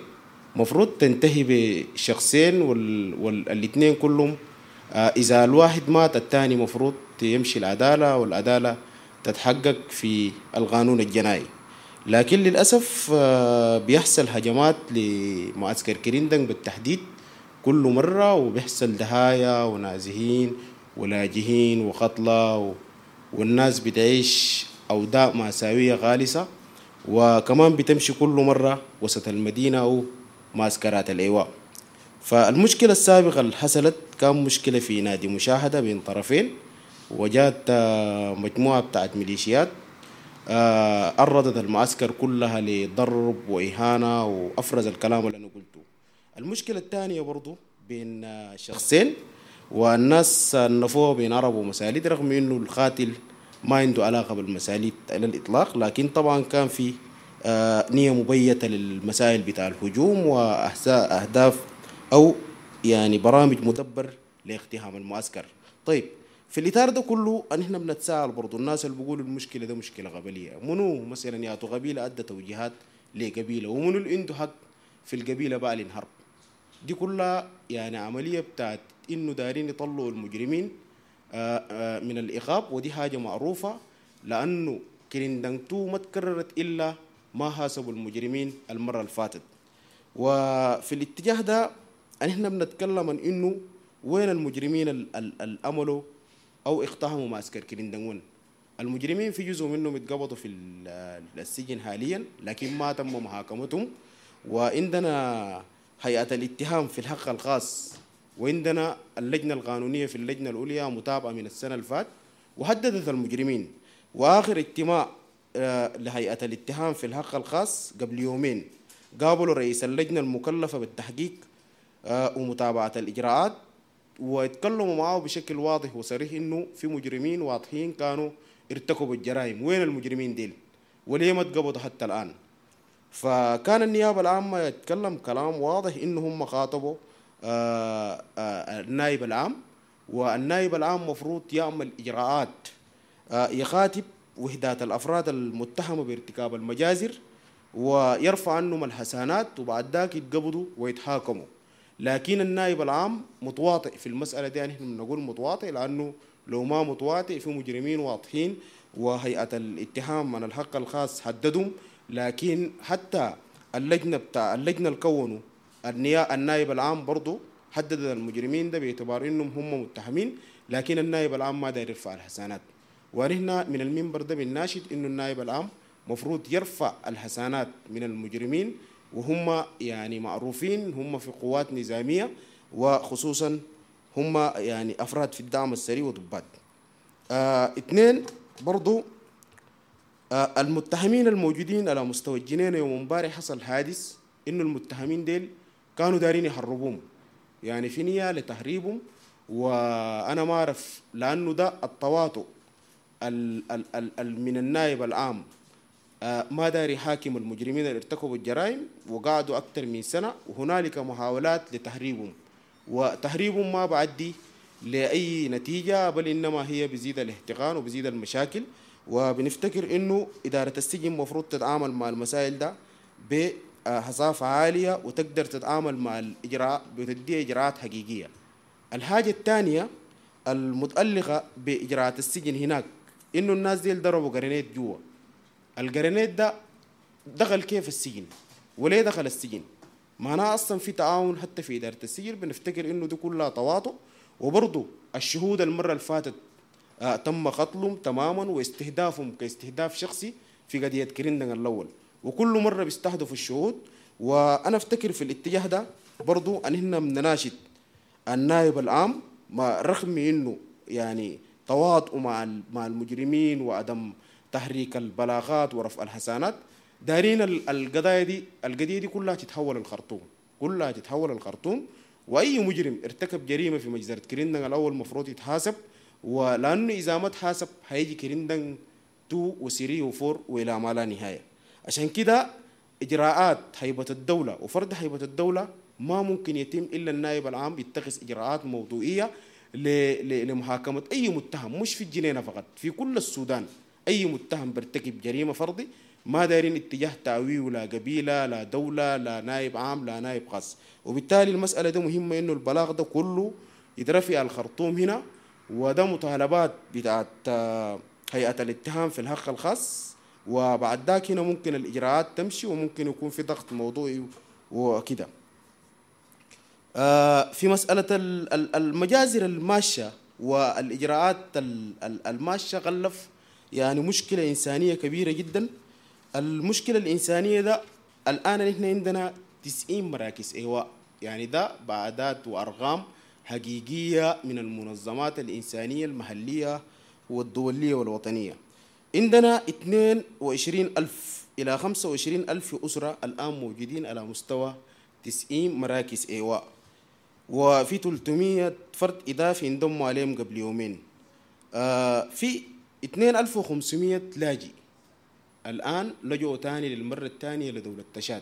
مفروض تنتهي بشخصين، والاثنين كلهم إذا الواحد مات الثاني مفروض يمشي العدالة، والعدالة تتحقق في القانون الجنائي. لكن للأسف بيحصل هجمات لمعسكر كريندنج بالتحديد كل مرة، وبيحصل دهايا ونازحين ولاجئين وقتلى، والناس بتعيش أوضاع مأساوية غالسة، وكمان بتمشي كل مرة وسط المدينة أو معسكرات الإيواء. فالمشكلة السابقة اللي حصلت كان مشكلة في نادي مشاهدة بين طرفين، وجات مجموعة بتاعت ميليشيات عرضت المعسكر كلها لضرب وإهانة وأفرز الكلام اللي أنا قلته. المشكلة الثانية برضو بين شخصين، والناس صنفوها بين عرب ومساليت رغم إنه القاتل ما عنده علاقة بالمساليت على الإطلاق، لكن طبعا كان في نية مبيتة للمسائل بتاع الهجوم وأهداف أو يعني برامج مدبر لاقتحام المعسكر. طيب في الإطار ده كله نحن بنتساءل برضو الناس اللي بيقولوا المشكلة ده مشكلة قبلية، منو مثلا ياتو قبيلة أدى توجيهات لقبيلة، ومنو اللي عنده حق في القبيلة بقى للهرب؟ دي كلها يعني عملية بتاعت إنه دارين يطلعوا المجرمين من الإيقاف، ودي حاجة معروفة لأنه كريندنج 2 ما تكررت إلا ما حاسبوا المجرمين المرة اللي فاتت. وفي الاتجاه ده نحن بنتكلم عن إنه وين المجرمين الأملوا أو اقتحموا معسكر كريندنج. المجرمين في جزء منهم اتقبضوا في السجن حاليا، لكن ما تم محاكمتهم. وعندنا هيئة الاتهام في الحق الخاص، وعندنا اللجنة القانونية في اللجنة العليا متابعة من السنة اللي فاتت وحددت المجرمين. وآخر اجتماع لهيئة الاتهام في الحق الخاص قبل يومين قابلوا رئيس اللجنة المكلفة بالتحقيق ومتابعة الإجراءات، ويتكلموا معه بشكل واضح وصريح إنه في مجرمين واضحين كانوا ارتكبوا الجرائم. وين المجرمين ديل؟ وليه ما اتقبضوا حتى الآن؟ فكان النيابة العامة يتكلم كلام واضح إنه هم خاطبوا النائب العام، والنائب العام مفروض يعمل إجراءات يخاطب وحدات الأفراد المتهمة بارتكاب المجازر ويرفع عنهم الحسانات، وبعد ذاك يتقبضوا ويتحاكموا. لكن النائب العام متواطئ في المسألة دي، يعني احنا بنقول متواطئ لأنه لو ما متواطئ في مجرمين واضحين وهيئة الاتهام من الحق الخاص حددهم، لكن حتى اللجنة بتاع اللجنة اللي كونوا النائب العام برضو حدد المجرمين ده باعتبار انهم هم متهمين، لكن النائب العام ما داير يرفع الحسانات. ونحن من المنبر ده بنناشد انه النائب العام مفروض يرفع الحسانات من المجرمين، وهم يعني معروفين، هم في قوات نظامية، وخصوصا هم يعني أفراد في الدعم السري وضباط. اثنين برضو المتهمين الموجودين على مستوى الجنينة يوم امبارح حصل حادث إنه المتهمين ديل كانوا دارين يهربوهم، يعني في نية لتهريبهم، وأنا ما أعرف لأنه ده التواطؤ ال ال ال ال من النائب العام ما داري حاكم المجرمين اللي ارتكبوا الجرائم وقعدوا أكثر من سنة، وهنالك محاولات لتهريبهم، وتهريبهم ما بعدي لأي نتيجة، بل إنما هي بزيد الاحتقان وبزيد المشاكل. وبنفتكر إنه إدارة السجن مفروض تتعامل مع المسائل ده بحصافة عالية وتقدر تتعامل مع الإجراء بتدي إجراءات حقيقية. الحاجة الثانية المتألقة بإجراءات السجن هناك إنه الناس دي ضربوا قرنيت جوا. القرنيت ده دخل كيف السجن؟ وليه دخل السجن؟ معناها أصلا في تعاون حتى في إدارة السجن. بنفتكر إنه دي كلها تواطؤ. وبرضه الشهود المرة اللي فاتت تم قتلهم تماما واستهدافهم كاستهداف شخصي في قضية كريندن الأول، وكل مرة بيستهدفوا الشهود. وأنا أفتكر في الاتجاه ده برضو أن إحنا بنناشد النائب العام، ما رغم إنه يعني تواطؤ مع المجرمين وعدم تحريك البلاغات ورفع الحسانات، دارين القضايا دي، القضية دي كلها تتحول الخرطوم، كلها تتحول الخرطوم. وأي مجرم ارتكب جريمة في مجزرة كريندن الأول مفروض يتحاسب، ولأنه إذا ما تحاسب هيجي كريندن 2 و3 و4 وإلى ما لا نهاية. عشان كده إجراءات هيبة الدولة وفرض هيبة الدولة ما ممكن يتم إلا النائب العام يتخذ إجراءات موضوعية لمحاكمة أي متهم، مش في الجنينة فقط، في كل السودان. أي متهم بيرتكب جريمة فرضي ما دايرين اتجاه تأويه لا قبيلة لا دولة لا نائب عام لا نائب خاص. وبالتالي المسألة دي مهمة، إنه البلاغ ده كله يترفع الخرطوم هنا، وده مطالبات بتاعت هيئة الاتهام في الحق الخاص، وبعد ذاك هنا ممكن الإجراءات تمشي وممكن يكون في ضغط موضوعي وكده. في مسألة المجازر الماشية والإجراءات الماشية غلف يعني مشكلة إنسانية كبيرة جدا. المشكلة الإنسانية ده الآن نحن عندنا 90 مراكز إيواء، يعني ده بعدات وأرقام حقيقية من المنظمات الإنسانية المحلية والدولية والوطنية. عندنا 22,000 إلى 25,000 أسرة الآن موجودين على مستوى 90 مراكز إيواء، وفي 300 فرد إضافي انضموا عليهم قبل يومين. في 2500 لاجئ الآن لجؤوا تاني للمرة الثانية لدولة تشاد،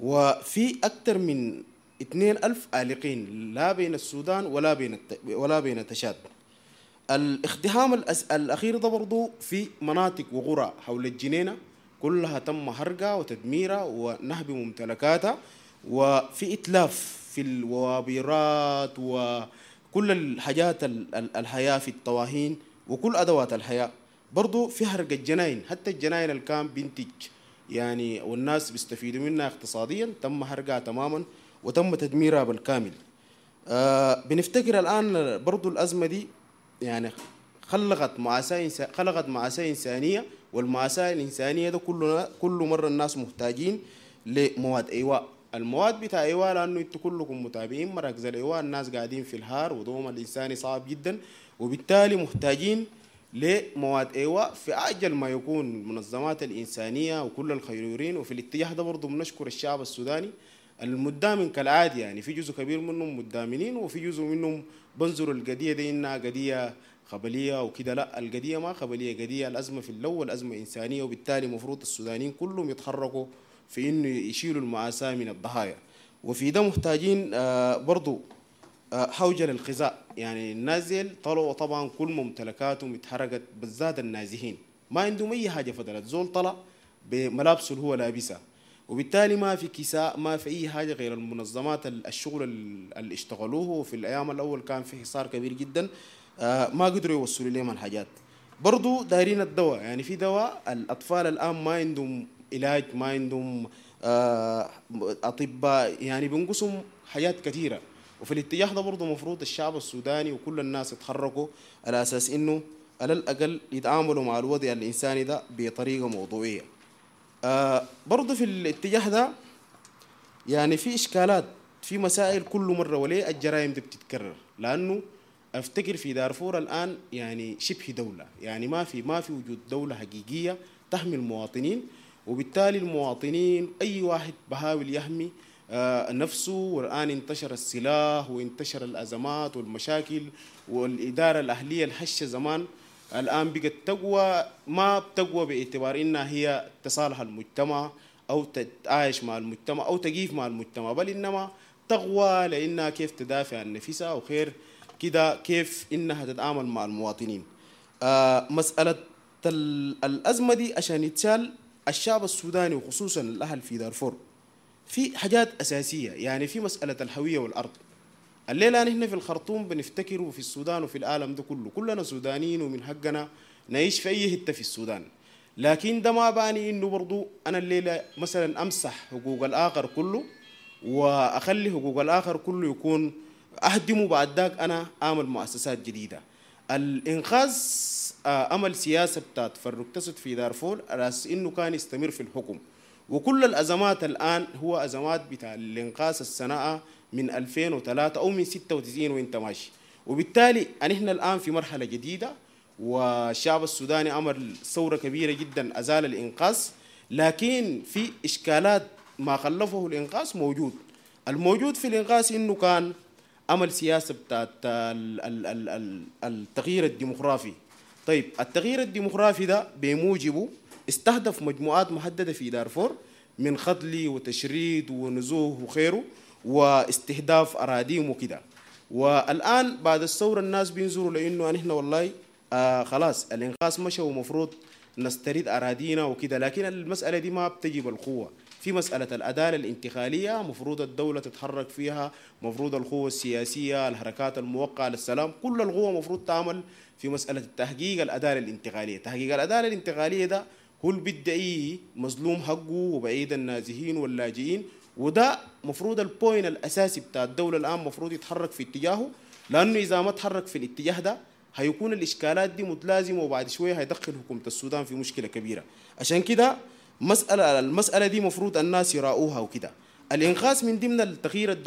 وفي أكثر من 2000 عالقين لا بين السودان ولا بين تشاد. الاقتحام الأخير ده برضو في مناطق وقرى حول الجنينة كلها تم حرقها وتدميرها ونهب ممتلكاتها، وفي إتلاف في الوابرات وكل الحاجات الحياة في الطواهين وكل أدوات الحياة. برضو في حرق الجناين، حتى الجناين اللي كان بينتج يعني والناس بيستفيدوا منها اقتصاديا تم حرقها تماما وتم تدميرها بالكامل. بنفتكر الآن برضو الأزمة دي يعني خلقت مأساة إنسانية، والمأساة الإنسانية ده كل مرة الناس محتاجين لمواد إيواء. المواد بتاع إيواء لأنه انتوا كلكم متابعين مراكز الإيواء، الناس قاعدين في الهار وضوم الإنساني صعب جدا، وبالتالي محتاجين لمواد إيواء في أعجل ما يكون المنظمات الإنسانية وكل الخيرين. وفي الاتجاه ده برضو بنشكر الشعب السوداني المدامن كالعادة، يعني في جزء كبير منهم مدامنين وفي جزء منهم بنظروا القضية دي إنها قضية قبلية وكده. لا، القضية ما قبلية، قضية الأزمة في الأول أزمة إنسانية، وبالتالي مفروض السودانيين كلهم يتحركوا في إنه يشيلوا المأساة من الضحايا. وفي ده محتاجين برضو حوجة للغذاء، يعني النازل طلعوا طبعا كل ممتلكاتهم اتحرقت، بالذات النازحين ما عندهم أي حاجة فضلت، زول طلع بملابسه اللي هو لابسها، وبالتالي ما في كساء، ما في أي حاجة غير المنظمات الشغل اللي اشتغلوه. في الأيام الأول كان في حصار كبير جدا، ما قدروا يوصلوا لهم الحاجات. برضو دايرين الدواء، يعني في دواء الأطفال الآن ما عندهم علاج، ما عندهم أطباء، يعني بنقصهم حاجات كثيرة. وفي الاتجاه ده برضو مفروض الشعب السوداني وكل الناس يتحركوا على أساس إنه على الأقل يتعاملوا مع الوضع الإنساني ده بطريقة موضوعية. برضو في الاتجاه ده يعني في إشكالات، في مسائل كل مرة وليه الجرائم دي بتتكرر، لأنه أفتكر في دارفور الآن يعني شبه دولة، يعني ما في وجود دولة حقيقية تحمي المواطنين، وبالتالي المواطنين أي واحد بحاول يحمي نفسه. والآن انتشر السلاح وانتشر الأزمات والمشاكل، والإدارة الأهلية الهشة زمان الآن بقت تقوى، ما بتقوى باعتبار إنها هي تصالح المجتمع أو تتعايش مع المجتمع أو تقيف مع المجتمع، بل إنما تقوى لأنها كيف تدافع عن نفسها وخير كده كيف إنها تتعامل مع المواطنين. مسألة الأزمة دي عشان يتشال الشعب السوداني وخصوصا الأهل في دارفور في حاجات أساسية، يعني في مسألة الهوية والأرض. الليلة نحن في الخرطوم بنفتكر وفي السودان وفي العالم ده كله كلنا سودانيين ومن حقنا نعيش في أي حتة في السودان، لكن ده ما بعني إنه برضو أنا الليلة مثلا أمسح حقوق الآخر كله وأخلي حقوق الآخر كله يكون أهدمه بعد ذاك أنا أعمل مؤسسات جديدة. الإنقاذ عمل سياسة بتاعت فرق تسد في دارفور على أساس إنه كان يستمر في الحكم، وكل الأزمات الآن هو أزمات بتاع الإنقاذ الصناعة من 2003 أو من 96 وإنت ماشي. وبالتالي نحن الآن في مرحلة جديدة، والشعب السوداني عمل ثورة كبيرة جدا أزال الإنقاذ، لكن في إشكالات ما خلفه الإنقاذ موجود. الموجود في الإنقاذ إنه كان عمل سياسة بتاعت التغيير الديمقرافي. طيب التغيير الديمقرافي ده بموجبه استهدف مجموعات محددة في دارفور من قتل وتشريد ونزوه وخيره واستهداف أراضيهم وكده. والآن بعد الثورة الناس بينظروا لأنه نحن والله خلاص الإنقاذ مشى ومفروض نستريد أراضينا وكده، لكن المسألة دي ما بتجي بالقوة. في مسألة العدالة الانتقالية مفروض الدولة تتحرك فيها، مفروض القوة السياسية، الحركات الموقعة للسلام، كل القوة مفروض تعمل في مسألة التحقيق العدالة الانتقالية. تحقيق العدالة الانتقالية ده هو اللي بيدعي مظلوم حقه وبعيد النازحين واللاجئين، وده مفروض ال point الأساسي بتاع الدولة الآن مفروض يتحرك في اتجاهه، لأنه إذا ما تحرك في الاتجاه ده هيكون الإشكالات دي متلازمة وبعد شوية هيدخل حكومة السودان في مشكلة كبيرة. عشان كده المسألة دي مفروض الناس يراؤوها وكده. الإنقاذ من ضمن التغيير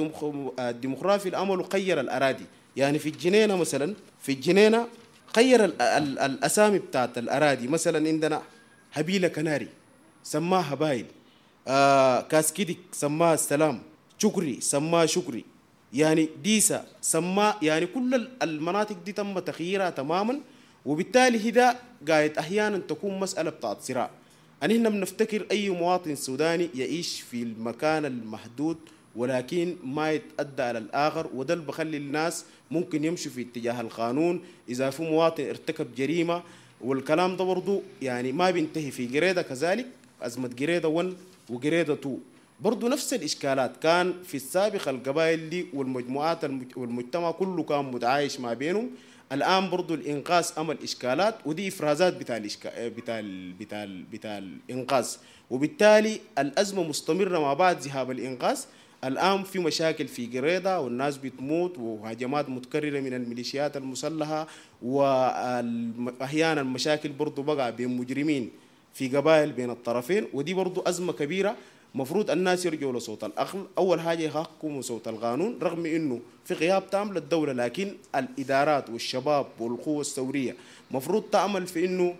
الديمقرافي الأمل غير الأراضي، يعني في الجنينة مثلا، في الجنينة غير الأسامي بتاعت الأراضي. مثلا عندنا هبيلة كناري سماها هبايل، كاسكيدك سماها السلام، شكري سماها شكري، يعني ديسا سماه، يعني كل المناطق دي تم تغييرها تماما. وبالتالي هذا قاعد أحيانا تكون مسألة بتاعت صراع. أن إحنا بنفتكر أي مواطن سوداني يعيش في المكان المحدود ولكن ما يتأدى على الآخر، وده اللي بخلي الناس ممكن يمشوا في اتجاه القانون إذا في مواطن ارتكب جريمة. والكلام ده برضو يعني ما بينتهي في جريدة، كذلك أزمة جريدة 1 وجريدة 2 برضو نفس الإشكالات. كان في السابق القبائل دي والمجموعات والمجتمع كله كان متعايش ما بينهم. الآن برضو الإنقاذ عمل إشكالات، ودي إفرازات بتاع بتاع بتاع بتاع الإنقاذ، وبالتالي الأزمة مستمرة مع بعد ذهاب الإنقاذ. الآن في مشاكل في جريدة والناس بتموت وهجمات متكررة من الميليشيات المسلحة، وأحيانا المشاكل برضو بقى بين مجرمين في قبائل بين الطرفين، ودي برضو أزمة كبيرة. مفروض الناس يرجعوا لصوت العقل، أول حاجة يحكموا صوت القانون، رغم إنه في غياب تام للدولة، لكن الإدارات والشباب والقوة الثورية مفروض تعمل في إنه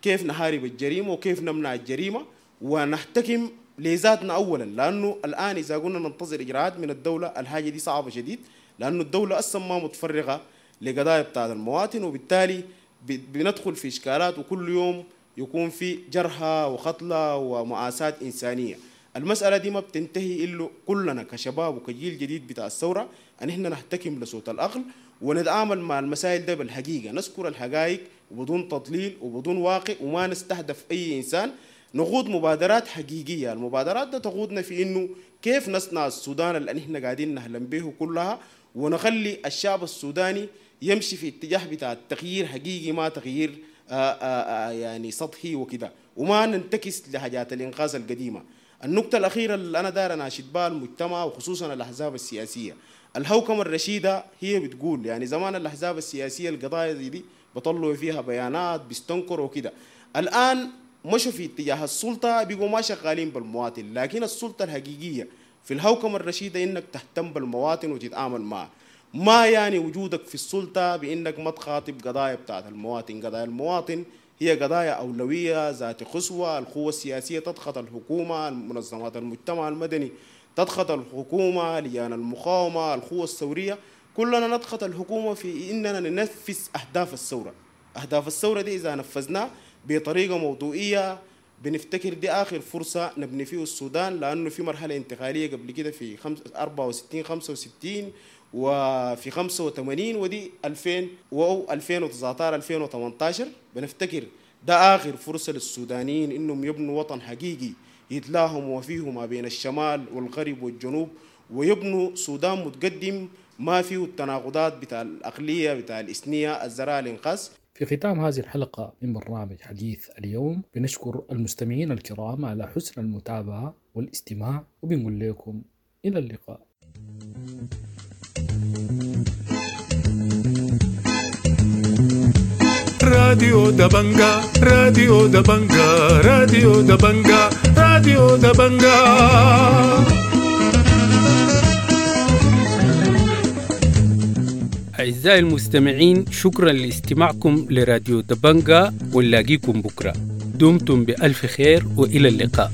كيف نحارب الجريمة وكيف نمنع الجريمة ونحتكم لذاتنا أولا. لأنه الآن إذا قلنا ننتظر إجراءات من الدولة الحاجة دي صعبة شديد، لأنه الدولة أصلا ما متفرغة لقضايا بتاعت المواطن، وبالتالي بندخل في إشكالات وكل يوم يكون في جرحى وقتلى ومآساة إنسانية. المسألة دي ما بتنتهي إلا كلنا كشباب وكجيل جديد بتاع الثورة أن إحنا نحتكم لصوت العقل ونتعامل مع المسائل ده بالحقيقة، نذكر الحقائق وبدون تضليل وبدون واقع، وما نستهدف أي إنسان، نقود مبادرات حقيقية. المبادرات ده تقودنا في إنه كيف نصنع السودان اللي إحنا قاعدين نحلم به كلها، ونخلي الشعب السوداني يمشي في اتجاه بتاع التغيير حقيقي، ما تغيير يعني سطحي وكده، وما ننتكس لحاجات الإنقاذ القديمة. النقطة الأخيرة اللي أنا داير أناشد بها المجتمع وخصوصا الأحزاب السياسية، الهوكمة الرشيدة هي بتقول يعني زمان الأحزاب السياسية القضايا دي بطلوا فيها بيانات بيستنكروا وكده، الآن مشوا في اتجاه السلطة بيقوا ما شغالين بالمواطن، لكن السلطة الحقيقية في الهوكمة الرشيدة إنك تهتم بالمواطن وتتعامل معه. ما يعني وجودك في السلطة بإنك ما تخاطب قضايا بتاعت المواطن. قضايا المواطن هي قضايا أولوية ذات قصوى، القوة السياسية تضغط الحكومة، منظمات المجتمع المدني تضغط الحكومة، لجان المقاومة، القوى الثورية، كلنا نضغط الحكومة في إننا ننفذ أهداف الثورة. أهداف الثورة دي إذا نفذناها بطريقة موضوعية بنفتكر دي آخر فرصة نبني فيه السودان، لأنه في مرحلة انتقالية قبل كده في 64 65 وفي 85 ودي 2000 و 2019 2018. بنفتكر ده آخر فرصة للسودانيين إنهم يبنوا وطن حقيقي يتلاهموا فيه ما بين الشمال والغرب والجنوب، ويبنوا سودان متقدم ما فيه التناقضات بتاع الأقلية بتاع الإثنية الزراعة الإنقاذ. في ختام هذه الحلقة من برنامج حديث اليوم بنشكر المستمعين الكرام على حسن المتابعة والاستماع، وبنقول لكم إلى اللقاء. راديو دبنجا، راديو دبنجا، راديو دبنجا، راديو دبنجا. أعزائي المستمعين، شكرا لاستماعكم لراديو دبنجا، ونلاقيكم بكرة. دمتم بألف خير وإلى اللقاء.